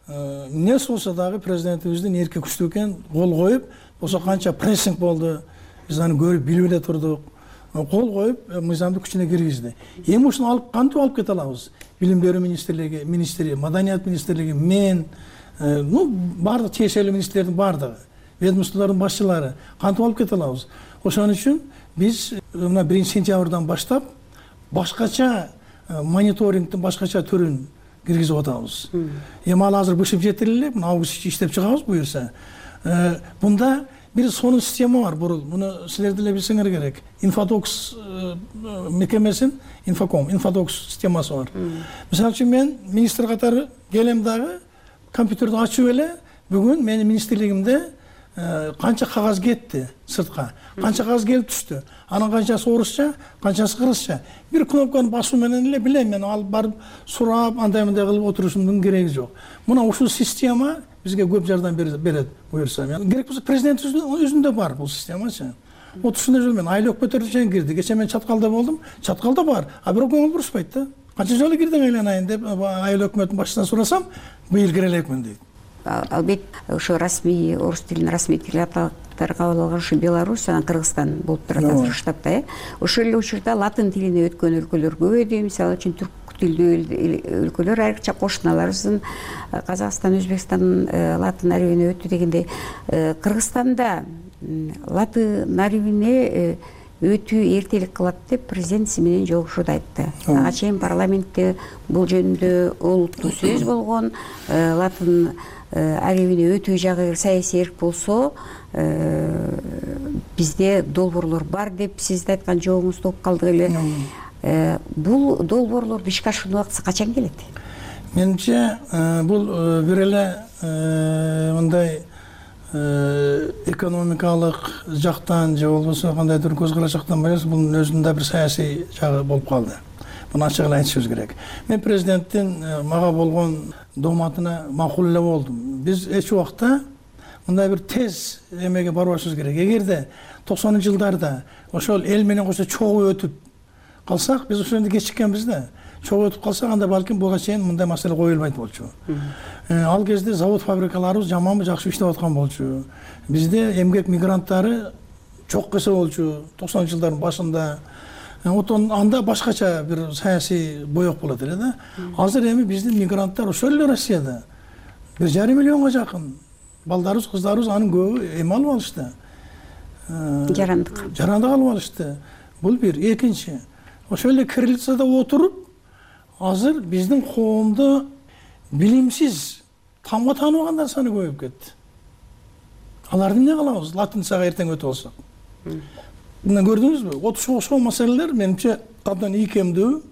Эмне болсо дагы президентибиздин эрки күчтүү экен, кол коюп, болсо канча прессинг болду, биз аны көрүп билип эле турдук. Кол коюп, мыйзамды күчүнө киргизди. Эми ушуну алып кантип алып кете алабыз? Билим берүү министрлиги, министри, маданият министрлиги, мен, ну, бардык тиешелүү министрлердин бардыгы, ведомстволордун башчылары кантип алып кете алабыз? Ошон үчүн биз мына биринчи сентябрдан баштап башкача мониторингдин башкача түрүн киргизип атабыз. Эми ал азыр бышып жетири эле, мына август иштеп чыгабыз буюрса. Бунда бир сонун система бар бурул. Муну силер деле билсеңер керек. Инфодокс мекемесин, Инфоком, Инфодокс системасы бар. Мисалы үчүн мен министр катары келем дагы компьютерди ачып эле бүгүн менин министрлигимде канча кагаз кетти сыртка, канча кагаз келип түштү, анын канчасы орусча, канчасы кыргызча. Бир кнопканы басуу менен эле билем мен, алып барып сурап, андай мындай кылып отурушумдун кереги жок. Мына ушул система бизге көп жардам берет буюрса. Керек болсо президенттин өзүндө бар бул системачы. Отушунда жол мен айыл өкмөттөрү чейин кирди. Кече мен Чаткалда болдум. Чаткалда бар. А бирок көңүл бурушпайт да. Канча жолу кирдиң айланайын деп айыл өкмөттүн башчысынан сурасам, быйыл кире элекмин дейт. Албетте ошо расмий орус тилин расмий тил атактар кабыл алган ушу Беларусь, анан Кыргызстан болуп турат азыр штабта, э. Ошол эле учурда латын тилине өткөн өлкөлөр көбөйдү. Мисалы үчүн түрк тилдүү өлкөлөр, айрыкча кошуналарыбыздын Казакстан, Өзбекстан латын арабине өттү дегендей, Кыргызстанда латын арабине өтүү эртелик кылат деп президент менен жолугушууда айтты. Ага чейин парламентте бул жөнүндө олуттуу сөз болгон. Латын арабине өтүү жагы саясий эрк болсо, бизде долбоорлор бар деп сиз да айткан жообуңузду угуп калдык эле. Бул долбоорлорду ишке ашыруу убактысы качан келет? Менимче бул бир эле мындай экономикалык жактан же болбосо кандайдыр көз караш жактан эмес, бунун өзүндө бир саясий жагы болуп калды. Муну ачык эле айтышыбыз керек. Мен президенттин мага болгон дооматына макул эле болдум. Биз эч убакта мындай бир тез эмеге барбашыбыз керек. Эгерде токсонунчу жылдарда ошол эл менен кошо чогуу өтүп калсак, биз ошондо кечиккенбиз да. Чогуу өтүп калсак, анда балким буга чейин мындай маселе коюлбайт болчу. Ал кезде завод фабрикаларыбыз жаманбы, жакшы иштеп аткан болчу. Бизде эмгек мигранттары чок эсе болчу токсонунчу жылдардын башында. Отон анда башкача бир саясий боек болот эле да. Азыр эми биздин мигранттар ошол эле Россияда бир жарым миллионго жакын балдарыбыз, кыздарыбыз анын көбү эми алып алышты. жарандык жарандык алып алышты. Бул бир. Экинчи, ошол эле кириллицада отуруп азыр биздин коомдо билимсиз тамга тааныбагандар саны көбөйүп кетти. Аларды эмне кылабыз? Латиницага эртең өтүп алсак. Мына көрдүңүзбү? Отушка окшогон маселелер менимче абдан ийкемдүү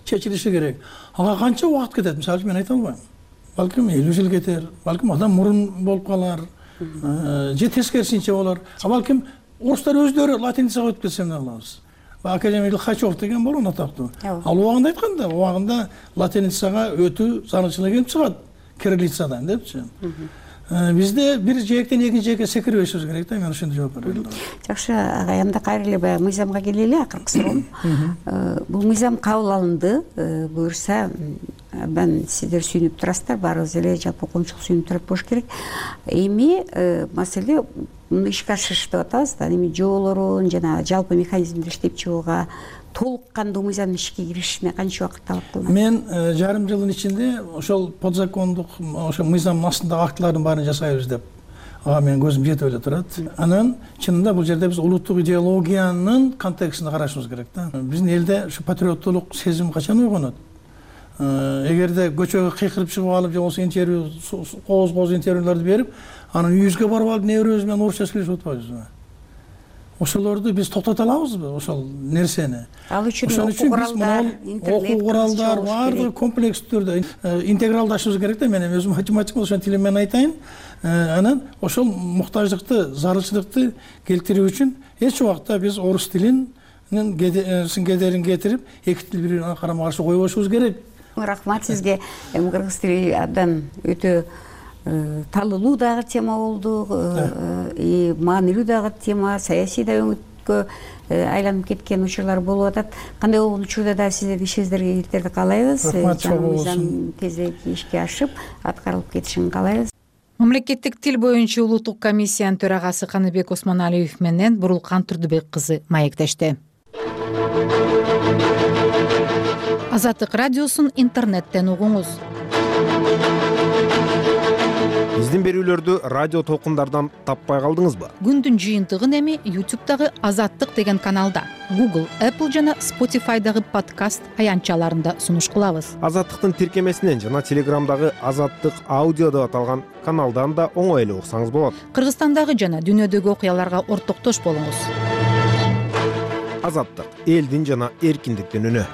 чечилиши керек. Ага канча убакыт кетет? Мисалы мен айта албайм. Балким элүү жыл кетер, балким адам мурун болуп калар, же тескерисинче болор. А балким орустар өздөрү латиницага өтүп кетсе эмне кылабыз? Академик Лихачев деген болгон атактуу. Ал убагында айтканда, убагында латиницага өтүү зарылчылык келип чыгат кириллицадан депчи. Бизде бир жээктен экинчи жээкке секирбешибиз керек да, мен ошондой жооп берем. Жакшы, агай, анда кайра эле баягы мыйзамга келели, акыркы суроом. Бул мыйзам кабыл алынды, буюрса абдан сиздер сүйүнүп турасыздар, баарыбыз эле жалпы коомчулук сүйүнүп турат болуш керек. Эми маселе муну ишке ашырыш деп атабыз да, эми жоолорун жана жалпы механизмдер иштеп чыгууга толук кандуу мыйзамдын ишке киришине канча убакыт талап кылынат? Мен жарым жылдын ичинде ошол подзакондук ошо мыйзамдын астындагы актылардын баарын жасайбыз деп ага менин көзүм жетип эле турат. Анан чынында бул жерде биз улуттук идеологиянын контекстинде карашыбыз керек да. Биздин элде ушу патриоттулук сезими качан ойгонот? Эгерде көчөгө кыйкырып чыгып алып же болбосо интервью кооз кооз интервьюларды берип, анан үйүбүзгө барып алып небирөөбүз менен орусча сүйлөшүп атпайбызбы? Ошолорду биз токтото алабызбы, ошол нерсени? Ал үчүн окуу куралдар, окуу куралдар баардыгы комплекстүү түрдө интегралдашыбыз керек да. Мен эми өзүм математик болуп ошол тили менен айтайын. Анан ошол муктаждыкты, зарылчылыкты келтирүү үчүн эч убакта биз орус тилин кедерин кетирип, эки тил бири-бирине карама каршы койбошубуз керек. Рахмат сизге. Эми кыргыз тили абдан өтө талылуу дагы тема болду, маанилүү дагы тема, саясий да өңүткө айланып кеткен учурлар болуп атат. Кандай болгон учурда да сиздердин ишиңиздерге ийгиликтерди каалайбыз. Мыйзам тезирээк ишке ашып, аткарылып кетишин каалайбыз. Мамлекеттик тил боюнча улуттук комиссиянын төрагасы Каныбек Осмоналиев менен Бурулкан Турдубек кызы маектешти. Азаттык радиосун интернеттен угуңуз. Биздин берүүлөрдү радио толкундардан таппай калдыңызбы? Күндүн жыйынтыгын эми ютубтагы Азаттык деген каналда, Google, Apple жана Spotify'дагы подкаст аянтчаларында сунуш кылабыз. Азаттыктын тиркемесинен жана Телеграмдагы Азаттык аудио деп аталган каналдан да оңой эле уксаңыз болот. Кыргызстандагы жана дүйнөдөгү окуяларга ортоктош болуңуз. Азаттык — элдин жана эркиндиктин үнү.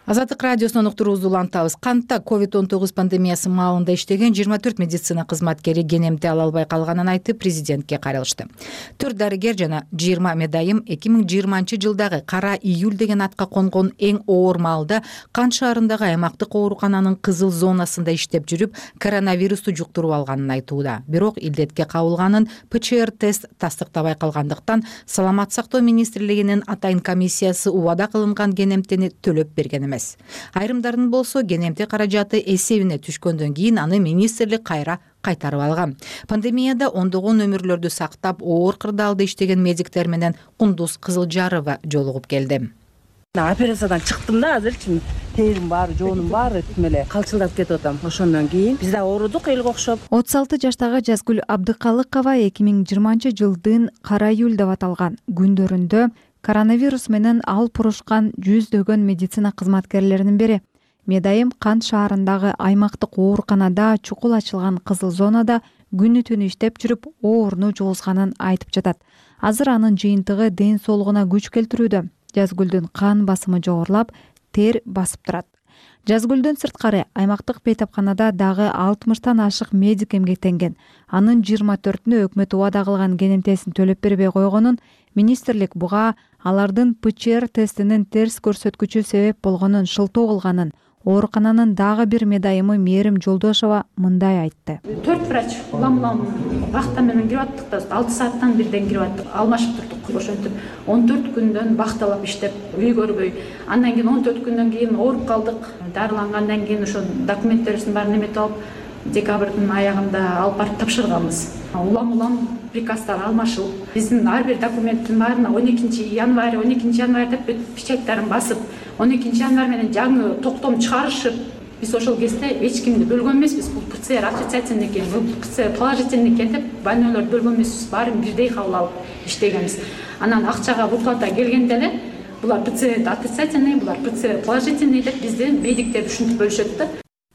Азаттык радиосунун уктуруубузду улантабыз. Кантта ковид он тогуз пандемиясы маалында иштеген жыйырма төрт медицина кызматкери кенемти ала албай калганын айтып, президентке кайрылышты. төрт дарыгер жана жыйырма медайым эки миң жыйырманчы жылдагы кара июль деген атка конгон эң оор маалда Кан шаарындагы аймактык оорукананын кызыл зонасында иштеп жүрүп, коронавирусту жуктуруп алганын айтууда. Бирок илдетке кабылганын ПЧР тест тастыктабай калгандыктан Саламат сактоо министрлигинин атайын комиссиясы убада кылынган кенемтени төлөп берген эмес. Айрымдардын болсо кенемти каражаты эсебине түшкөндөн кийин аны министрлик кайра кайтарып алган. Пандемияда ондогон өмүрлөрдү сактап, оор кырдаалда иштеген медиктер менен Кундуз Кызылжарова жолугуп келди. Операциядан чыктым да, азырчы терим баары, жоонум баары тим эле калчылдап кетип атам. Ошондон кийин биз да оорудук элге окшоп. отуз алты жаштагы Жазгүл Абдыкалыкова эки миң жыйырманчы жылдын кара июль деп аталган күндөрүндө коронавирус менен алып урушкан жүздөгөн медицина кызматкерлеринин бири. Медайым Кан шаарындагы аймактык ооруканада чукул ачылган кызыл зонада күнү түнү иштеп жүрүп, ооруну жугузганын айтып жатат. Азыр анын жыйынтыгы ден соолугуна күч келтирүүдө. Жазгүлдүн кан басымы жогорулап, тер басып турат. Жазгүлдөн сырткары аймактык бейтапканада дагы алтымыштан ашык медик эмгектенген. Анын жыйырма төртүнө өкмөт убада кылган кенемтесин төлөп бербей койгонун, министрлик буга алардын ПЧР тестинин терс көрсөткүчү себеп болгонун шылтоо кылганын, оорукананын дагы бир медайымы Мээрим Жолдошова мындай айтты. төрт врач улам-улам вахта менен кирип аттык да, алты сааттан бирден кирип аттык, алмашып турдук. Ошентип он төрт күндөн вахталап иштеп, үй көрбөй. Андан кийин он төрт күндөн кийин ооруп калдык. Дарылангандан кийин ошо документтерибиздин баарын эметип алып, декабрдын аягында алып барып тапшырганбыз. Улам-улам приказдар алмашылып, биздин ар бир документтин баарына он экинчи январь, он экинчи январь деп печаттарын басып, он экинчи январь менен жаңы токтом чыгарышып, биз ошол кезде эч кимди бөлгөн эмеспиз. Бул ПЦР отрицательный экен, бул ПЦР положительный экен деп больнойлорду бөлгөн эмеспиз. Баарын бирдей кабыл алып иштегенбиз. Анан акчага выплата келгенде эле булар ПЦР отрицательный, булар ПЦР положительный деп бизди медиктерди ушинтип бөлүшөт да.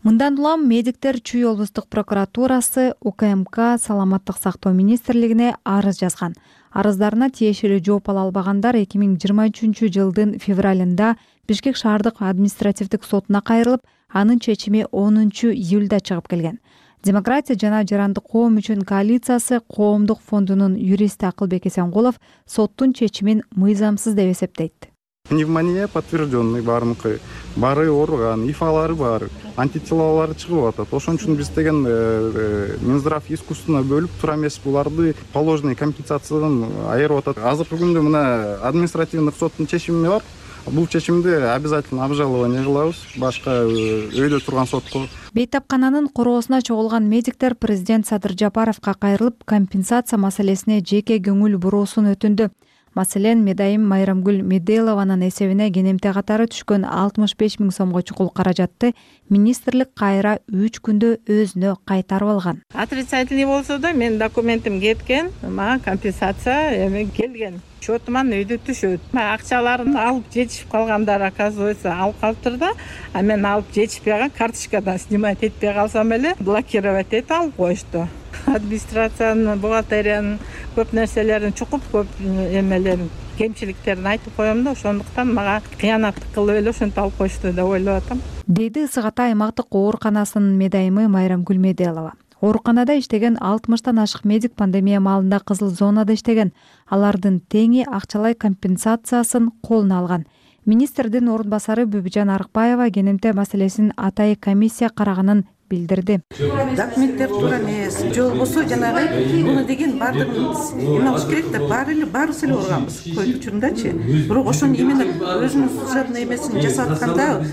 Мындан улам медиктер Чүй облустук прокуратурасы, УКМК, Саламаттык сактоо министрлигине арыз жазган. Арыздарына тиешелүү жооп ала албагандар эки миң жыйырма үчүнчү жылдын февралында Бишкек шаардык административдик сотуна кайрылып, анын чечими онунчу июлда чыгып келген. Демократия жана жарандык коом үчүн коалициясы коомдук фондунун юристи Акылбек Эсенкулов соттун чечимин мыйзамсыз деп эсептейт. Пневмония подтвержденный баарыныкы, баары ооруган, ифалары бар, антителалары чыгып атат. Ошон үчүн биз деген Минздрав искусственно бөлүп тура эмес буларды положенный компенсациядан айырып атат. Азыркы күндө мына административдик соттун чечими бар. Бул чечимди обязательно обжалование кылабыз башка өйдө турган сотко. Бейтапкананын короосуна чогулган медиктер президент Садыр Жапаровго кайрылып, компенсация маселесине жеке көңүл буруусун өтүндү. Маселен, Медайым Майрамгүл Меделованын эсебине кенемте катары түшкөн алтымыш беш миң сомго чукул каражатты министрлик кайра үч күндө өзүнө кайтарып алган. Отрицательный болсо да менин документим кеткен, мага компенсация эме келген. Счетуман өйдө түшөт. Акчаларын алып жетишип калгандар оказывается алып калыптыр да, а мен алып жетишпей калган карточкадан снимать этпей калсам эле блокировать этип алып коюшту. Администрациянын, бухгалтериянын көп нерселерин чукуп, көп эмелерин, кемчиликтерин айтып коем да, ошондуктан мага кыянаттык кылып эле ошентип алып коюшту деп ойлоп атам. Деди Ысык Ата аймактык ооруканасынын медайымы Майрамгүл Меделова. Ооруканада иштеген алтымыштан ашык медик пандемия маалында кызыл зонада иштеген. Алардын теңи акчалай компенсациясын колуна алган. Министрдин орун басары Бүбүжан Арыкбаева кенемте маселесин атайын комиссия караганын билдирди. Документтер туура эмес, же болбосо жанагы муну деген баардыгын эме кылыш керек да, баары эле баарыбыз эле ооруганбыз ковид учурундачы. Бирок ошону именно өзүнүн служебный эмесин жасап атканда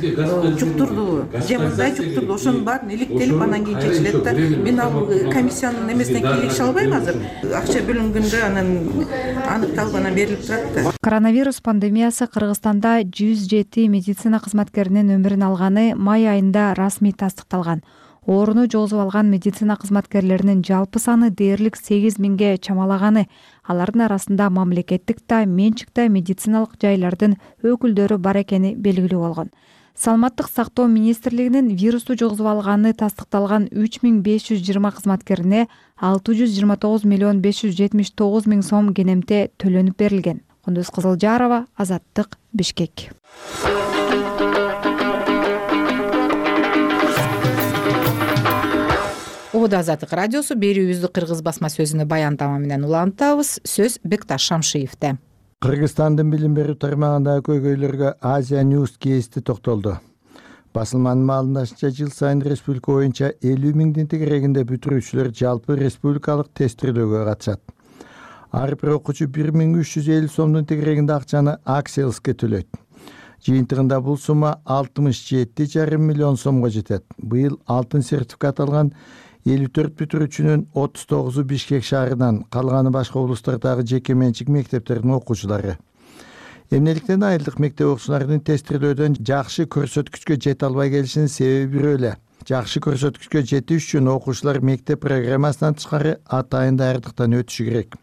жуктурду, же мындай жуктурду, ошонун баарын иликтелип анан кийин чечилет да. Мен ал комиссиянын эмесине кийлигише албайм азыр. Акча бөлүнгөндө анан аныкталып анан берилип турат да. Коронавирус пандемиясы Кыргызстанда жүз жети медицина кызматкеринин өмүрүн алганы май айында расмий тастыкталган. Ооруну жогозуп алган медицина кызматкерлеринин жалпы саны дээрлик сегиз миңге чамалаганы. Алардын арасында мамлекеттик да, менчик да медициналык жайлардын өкүлдөрү бар экени белгилүү болгон. Саламаттык сактоо министрлигинин вирусту жогозуп алганы тастыкталган үч миң беш жүз жыйырма кызматкерине алты жүз жыйырма тогуз миллион беш жүз жетимиш тогуз миң сом кенемте төлөнүп берилген. Кундуз Кызылжарова, Азаттык, Бишкек. Ободо Азаттык радиосу берүүбүздү кыргыз басма сөзүнө баян тама менен улантабыз. Сөз Бекташ Шамшиевде. Кыргызстандын билим берүү тармагындагы көйгөйлөргө Азия News кести токтолду. Басылманын маалымдашынча, жыл сайын республика боюнча элүү миңдин тегерегинде бүтүрүүчүлөр жалпы республикалык тестирөөгө катышат. Ар бир окуучу бир миң үч жүз элүү сомдун тегерегинде акчаны Акселске төлөйт. Жыйынтыгында бул сумма алтымыш жети жарым миллион сомго жетет. Быйыл алтын сертификат алган элүү төрт бүтүрүүчүнүн отуз тогузу Бишкек шаарынан, калганы башка облустардагы жеке менчик мектептердин окуучулары. Эмнеликтен айылдык мектеп окуучуларынын тестирөөдөн жакшы көрсөткүчкө жете албай келишинин себеби бирөө эле. Жакшы көрсөткүчкө жетиш үчүн окуучулар мектеп программасынан тышкары атайын даярдыктан өтүшү керек.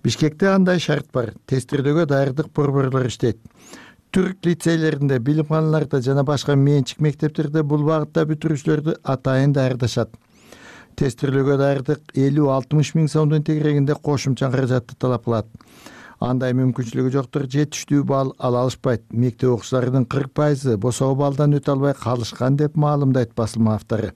Бишкекте андай шарт бар. Тестирөөгө даярдык борборлор иштейт. Түрк лицейлеринде, билимханаларда жана башка менчик мектептерде бул багытта бүтүрүүчүлөрдү атайын даярдашат. Тестирөөгө даярдык элүү алтымыш миң сомдун тегерегинде кошумча каражатты талап кылат. Андай мүмкүнчүлүгү жоктор жетиштүү балл ала алышпайт. Мектеп окуучуларынын кырк пайызы босоо баллдан өтө албай калышкан деп маалымдайт басылма автору.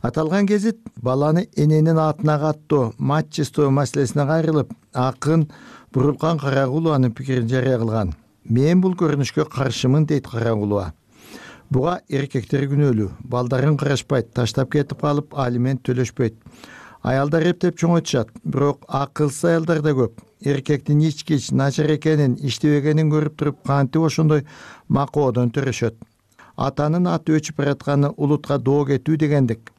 Аталган гезит баланы эненин атына каттоо, матчестоо маселесине кайрылып, акын Бурулкан Карагулованын пикирин жарыя кылган. Мен бул көрүнүшкө каршымын, дейт Карагулова. Буга эркектер күнөөлүү, балдарын карашпайт, таштап кетип калып алимент төлөшпөйт. Аялдар эптеп чоңойтушат, бирок акылсыз аялдар да көп. Эркектин ичкич, начар экенин, иштебегенин көрүп туруп кантип ошондой макоодон төрөшөт. Атанын аты өчүп баратканы улутка доо кетүү дегендик.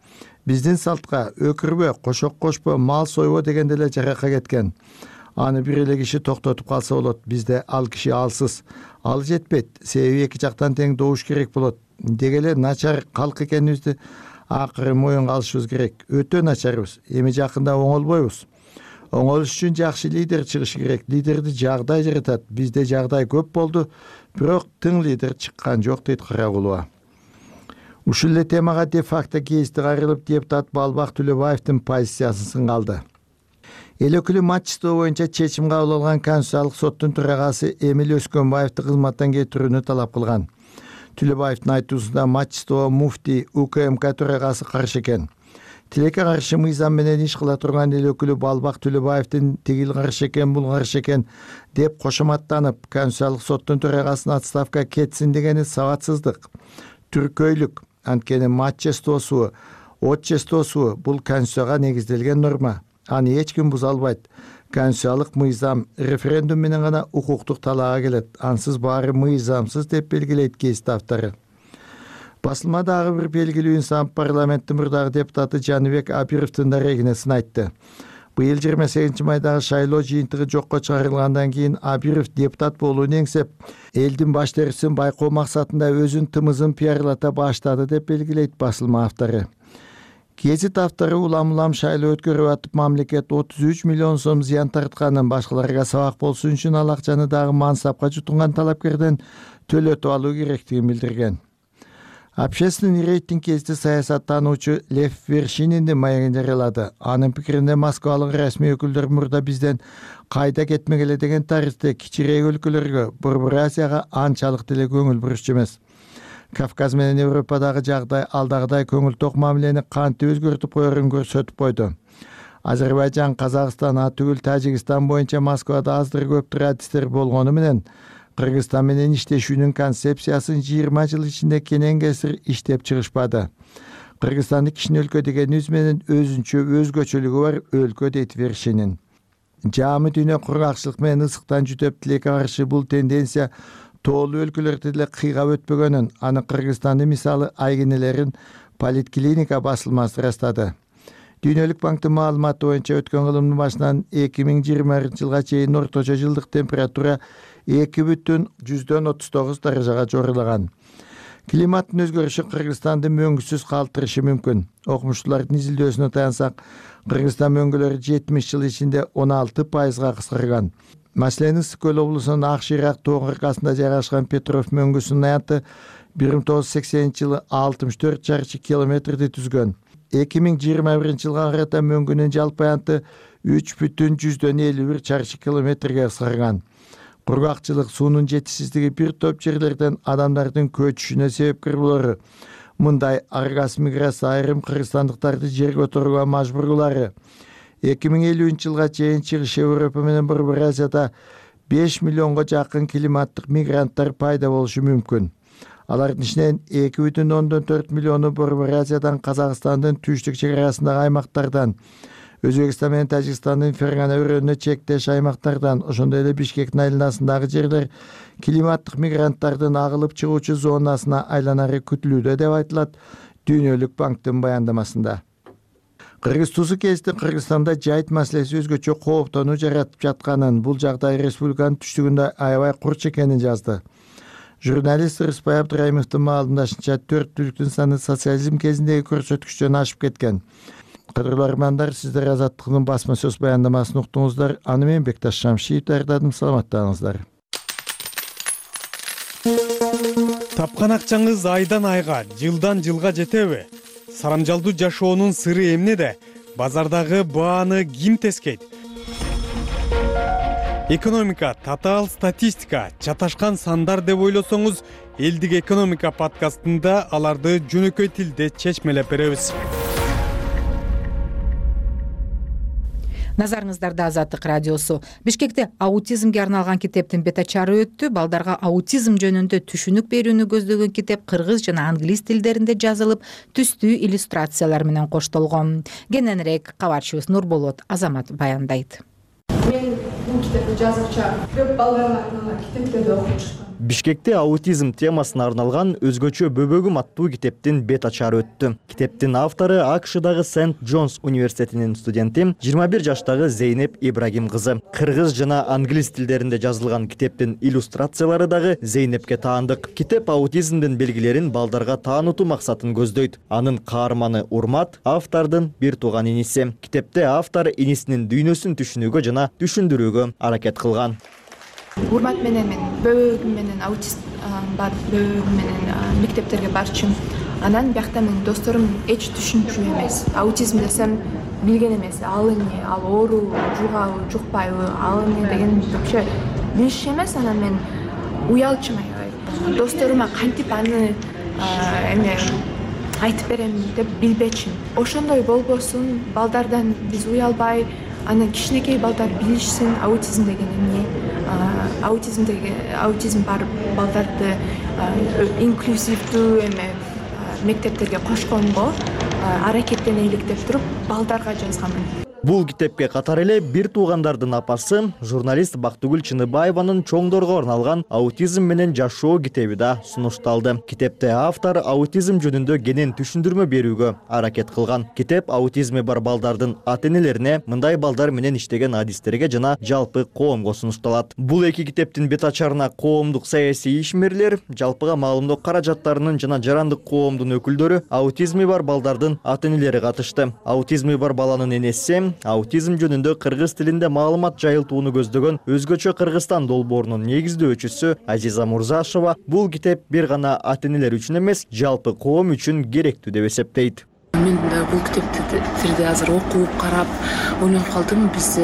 Биздин салтка өкүрбө, кошок кошпо, мал сойбо дегенде эле жарака кеткен. аны бир эле киши токтотуп калса болот. Бизде ал киши алсыз. Ал жетпейт. Себеби эки жактан тең добуш керек болот. Деги эле начар калк экенибизди акыры моюнга алышыбыз керек. Өтө начарбыз. Эми жакында оңолбойбуз. Оңолуш үчүн жакшы лидер чыгышы керек. Лидерди жагдай жаратат. Бизде жагдай көп болду, бирок тың лидер чыккан жок, дейт Карагулова. Ушул эле темага де факто кести кайрылып, депутат Балбак Төлөбаевдин позициясы сынгалды. Эл өкүлү матчтоо боюнча чечим кабыл алган Конституциялык соттун төрагасы Эмил Өскөнбаевди кызматтан кетирүүнү талап кылган. Төлөбаевдин айтуусунда матчтоо муфтий УКМК төрагасы каршы экен. Тилекке каршы мыйзам менен иш кыла турган эл өкүлү Балбак Төлөбаевдин тигил каршы экен, бул каршы экен деп кошоматтанып, Конституциялык соттун төрагасынын отставка кетсин дегени сабатсыздык, түркөйлүк. Анткени матчтоосу, отчестоосу бул Конституцияга негизделген норма. Аны эч ким буза албайт. Конституциялык мыйзам референдум менен гана укуктук талаага келет. Ансыз баары мыйзамсыз деп белгилейт кесип автору. Басылма дагы бир белгилүү инсан парламенттин мурдагы депутаты Жаныбек Абировдун да регинесин айтты. Быйыл жыйырма сегизинчи майдагы шайлоо жыйынтыгы жокко чыгарылгандан кийин Абиров депутат болууну эңсеп, элдин баш терисин байкоо максатында өзүн тымызын пиарлата баштады деп белгилейт басылма автору. Гезит автору улам-улам шайлоо өткөрүп атып, мамлекет отуз үч миллион сом зыян тартканын, башкаларга сабак болсун үчүн ал акчаны дагы мансапка жутунган талапкерден төлөтүп алуу керектигин билдирген. Общественный рейтинг кести саясаттануучу Лев Вершининдин маегин жарыялады. Анын пикиринде Москвалык расмий өкүлдөр мурда бизден кайда кетмегеле деген тарыхта кичирээк өлкөлөргө, Борбор Азияга анчалык деле көңүл бурушчу эмес. Кавказ менен Европадагы жагдай алдагыдай көңүл ток мамилени кантип өзгөртүп коерун көрсөтүп койду. Азербайжан, Казакстан, атүгүл Тажикстан боюнча Москвада аздыр көптүр адистер болгону менен Кыргызстан менен иштешүүнүн концепциясын жыйырма жыл ичинде кенен кесир иштеп чыгышпады. Кыргызстанды кичине өлкө дегенибиз менен өзүнчө өзгөчөлүгү бар өлкө, дейт Вершинин. Жаамы дүйнө кургакчылык менен ысыктан жүдөп, тилекке каршы бул тенденция тоолуу өлкөлөрдө деле кыйгап өтпөгөнүн, аны Кыргызстандын мисалы айгинелерин Политклиника басылмасы ырастады. Дүйнөлүк банктын маалыматы боюнча өткөн кылымдын башынан эки миң жыйырманчы жылга чейин орточо жылдык температура эки бүтүн жүздөн отуз тогуз даражага жорулаган. Климаттын өзгөрүшү Кыргызстанды мөңгүсүз калтырышы мүмкүн. Окумуштуулардын изилдөөсүнө таянсак, Кыргызстан мөңгүлөрү жетимиш жыл ичинде он алты пайызга кыскарган. Маселен, Ысык көл облусунун Ак Шыйрак тоо кыркасында жайгашкан Петров мөңгүсүнүн аянты бир миң тогуз жүз сексенинчи жылы алтымыш төрт чарчы километрди түзгөн. эки миң жыйырма биринчи жылга карата мөңгүнүн жалпы аянты үч бүтүн жүздөн элүү бир чарчы километрге кыскарган. Кургакчылык, суунун жетишсиздиги бир топ жерлерден адамдардын көчүшүнө себепкер болору. Мындай аргас миграция айрым кыргызстандыктарды жерге отурууга мажбурлаары. эки миң элүүнчү жылга чейин Чыгыш Европа менен Борбор Азияда беш миллионго жакын климаттык мигранттар пайда болушу мүмкүн. Алардын ичинен эки бүтүн ондон төрт миллиону Борбор Азиядан, Казакстандын түштүк чек арасындагы аймактардан, Өзбекстан менен Тажикстандын Фергана өрөөнүнө чектеш аймактардан, ошондой эле Бишкектин айланасындагы жерлер климаттык мигранттардын агылып чыгуучу зонасына айланары күтүлүүдө деп айтылат Дүйнөлүк банктын баяндамасында. Кыргыз тузу кести Кыргызстанда жайыт маселеси өзгөчө кооптонуу жаратып жатканын, бул жагдай республиканын түштүгүндө аябай курч экенин жазды. Журналист Рыспай Абдырайымовдун маалымдашынча, төрт түлүктүн саны социализм кезиндеги көрсөткүчтөн ашып кеткен. Кадырлуу армандар, сиздер Азаттыктын басма сөз баяндамасын уктуңуздар. Аны мен Бекташ Шамшиев даярдадым. Саламаттаңыздар. Тапкан акчаңыз айдан айга, жылдан жылга жетеби? Сарамжалдуу жашоонун сыры эмнеде? Базардагы бааны ким тескейт? Экономика, татаал статистика, чаташкан сандар деп ойлосоңуз, Элдик экономика подкастында аларды жөнөкөй тилде чечмелеп беребиз. Назарыңыздарда Азаттык радиосу. Бишкекте аутизмге арналган китептин бета чары өттү. Балдарга аутизм жөнүндө түшүнүк берүүнү көздөгөн китеп кыргыз жана англис тилдеринде жазылып, түстүү иллюстрациялар менен коштолгон. Кененирээк кабарчыбыз Нурболот Азамат баяндайт. Мен бул китепти жазгыча көп балдарга арналган китептерди окуп чыккам. Бишкекте аутизм темасына арналган өзгөчө бөбөгүм аттуу китептин бет ачары өттү. Китептин автору АКШдагы Сент Джонс университетинин студенти жыйырма бир жаштагы Зейнеп Ибрагим кызы. Кыргыз жана англис тилдеринде жазылган китептин иллюстрациялары дагы Зейнепке таандык. Китеп аутизмдин белгилерин балдарга таанытуу максатын көздөйт. Анын каарманы Урмат автордун бир тууган иниси. Китепте автор инисинин дүйнөсүн түшүнүүгө жана түшүндүрүүгө аракет кылган. Урмат менен мен бөбөгүм менен аутист бар бөбөгүм менен мектептерге барчумун. Анан биякта менин досторум эч түшүнчү эмес. Аутизм десем билген эмес. Ал эмне, ал оору, жугабы, жукпайбы, ал эмне деген вообще билишчү эмес. Анан мен уялчумун. Досторума кантип аны эме айтып берем деп билбечимин. Ошондой болбосун, балдардан биз уялбай, анан кичинекей балдар билишсин аутизм деген эмне. Аутизмдеги аутизм бар балдарды инклюзивдүү эме мектептерге кошконго аракеттенелик деп туруп балдарга жазганмын. Бул китепке катар эле бир туугандардын апасы, журналист Бактыгүл Чыныбаеванын чоңдорго арналган аутизм менен жашоо китеби да сунушталды. Китепте автор аутизм жөнүндө кенен түшүндүрмө берүүгө аракет кылган. Китеп аутизми бар балдардын ата-энелерине мындай балдар менен иштеген адистерге жана жалпы коомго сунушталат. Бул эки китептин бет ачарына коомдук саясий ишмерлер, жалпыга маалымдоо каражаттарынын жана жарандык коомдун өкүлдөрү, аутизми бар балдардын ата-энелери катышты. Аутизми бар баланын энеси аутизм жөнүндө кыргыз тилинде маалымат жайылтууну көздөгөн өзгөчө Кыргызстан долбоорунун негиздөөчүсү Азиза Мурзашева бул китеп бир гана ата-энелер үчүн эмес, жалпы коом үчүн керектүү деп эсептейт. Мен бул китепти азыр окуп, карап, ойлонуп калдым. Биз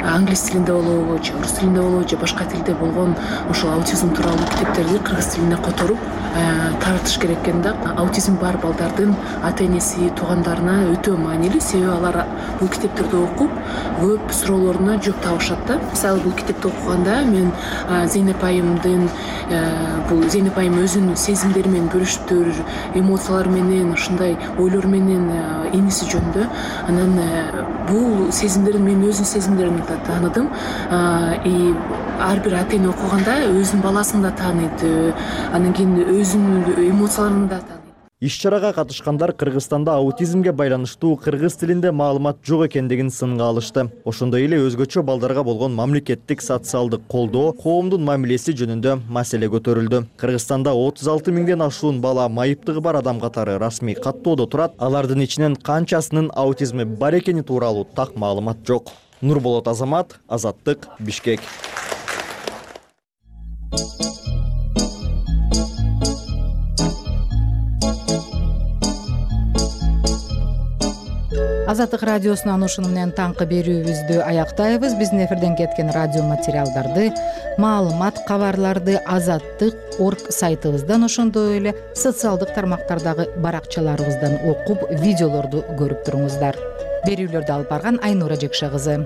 англис тилинде болобу, же орус тилинде болобу, же башка тилде болгон ошол аутизм тууралуу китептерди кыргыз тилине которуп таратыш керек экен да. Аутизм бар балдардын ата-энеси, туугандарына өтө маанилүү, себеби алар бул китептерди окуп, көп суроолоруна жооп табышат да. Мисалы бул китепти окуганда мен Зейнеп айымдын бул Зейнеп айым өзүнүн сезимдери менен бөлүшүптүр, эмоциялары менен, ушундай ойлор менен иниси жөнүндө. Анан бул сезимдерин мен өзүнүн сезимдеримди да тааныдым. И ар бир ата-эне окуганда өзүнүн баласын да тааныйт, анан кийин өзүнүн эмоцияларын да тааныйт. Иш-чарага катышкандар Кыргызстанда аутизмге байланыштуу кыргыз тилинде маалымат жок экендигин сынга алышты. Ошондой эле өзгөчө балдарга болгон мамлекеттик социалдык колдоо, коомдун мамилеси жөнүндө маселе көтөрүлдү. Кыргызстанда отуз алты миңден ашуун бала майыптыгы бар адам катары расмий каттоодо турат. Алардын ичинен канчасынын аутизми бар экени тууралуу так маалымат жок. Нурболот Азамат, Азаттык, Бишкек. Азаттык радиосунан ушуну менен таңкы берүүбүздү аяктайбыз. Биздин эфирден кеткен радио материалдарды, маалымат, кабарларды азаттык точка орг сайтыбыздан, ошондой эле социалдык тармактардагы баракчаларыбыздан окуп, видеолорду көрүп туруңуздар. Берүүлөрдү алып барган Айнура Жекше кызы.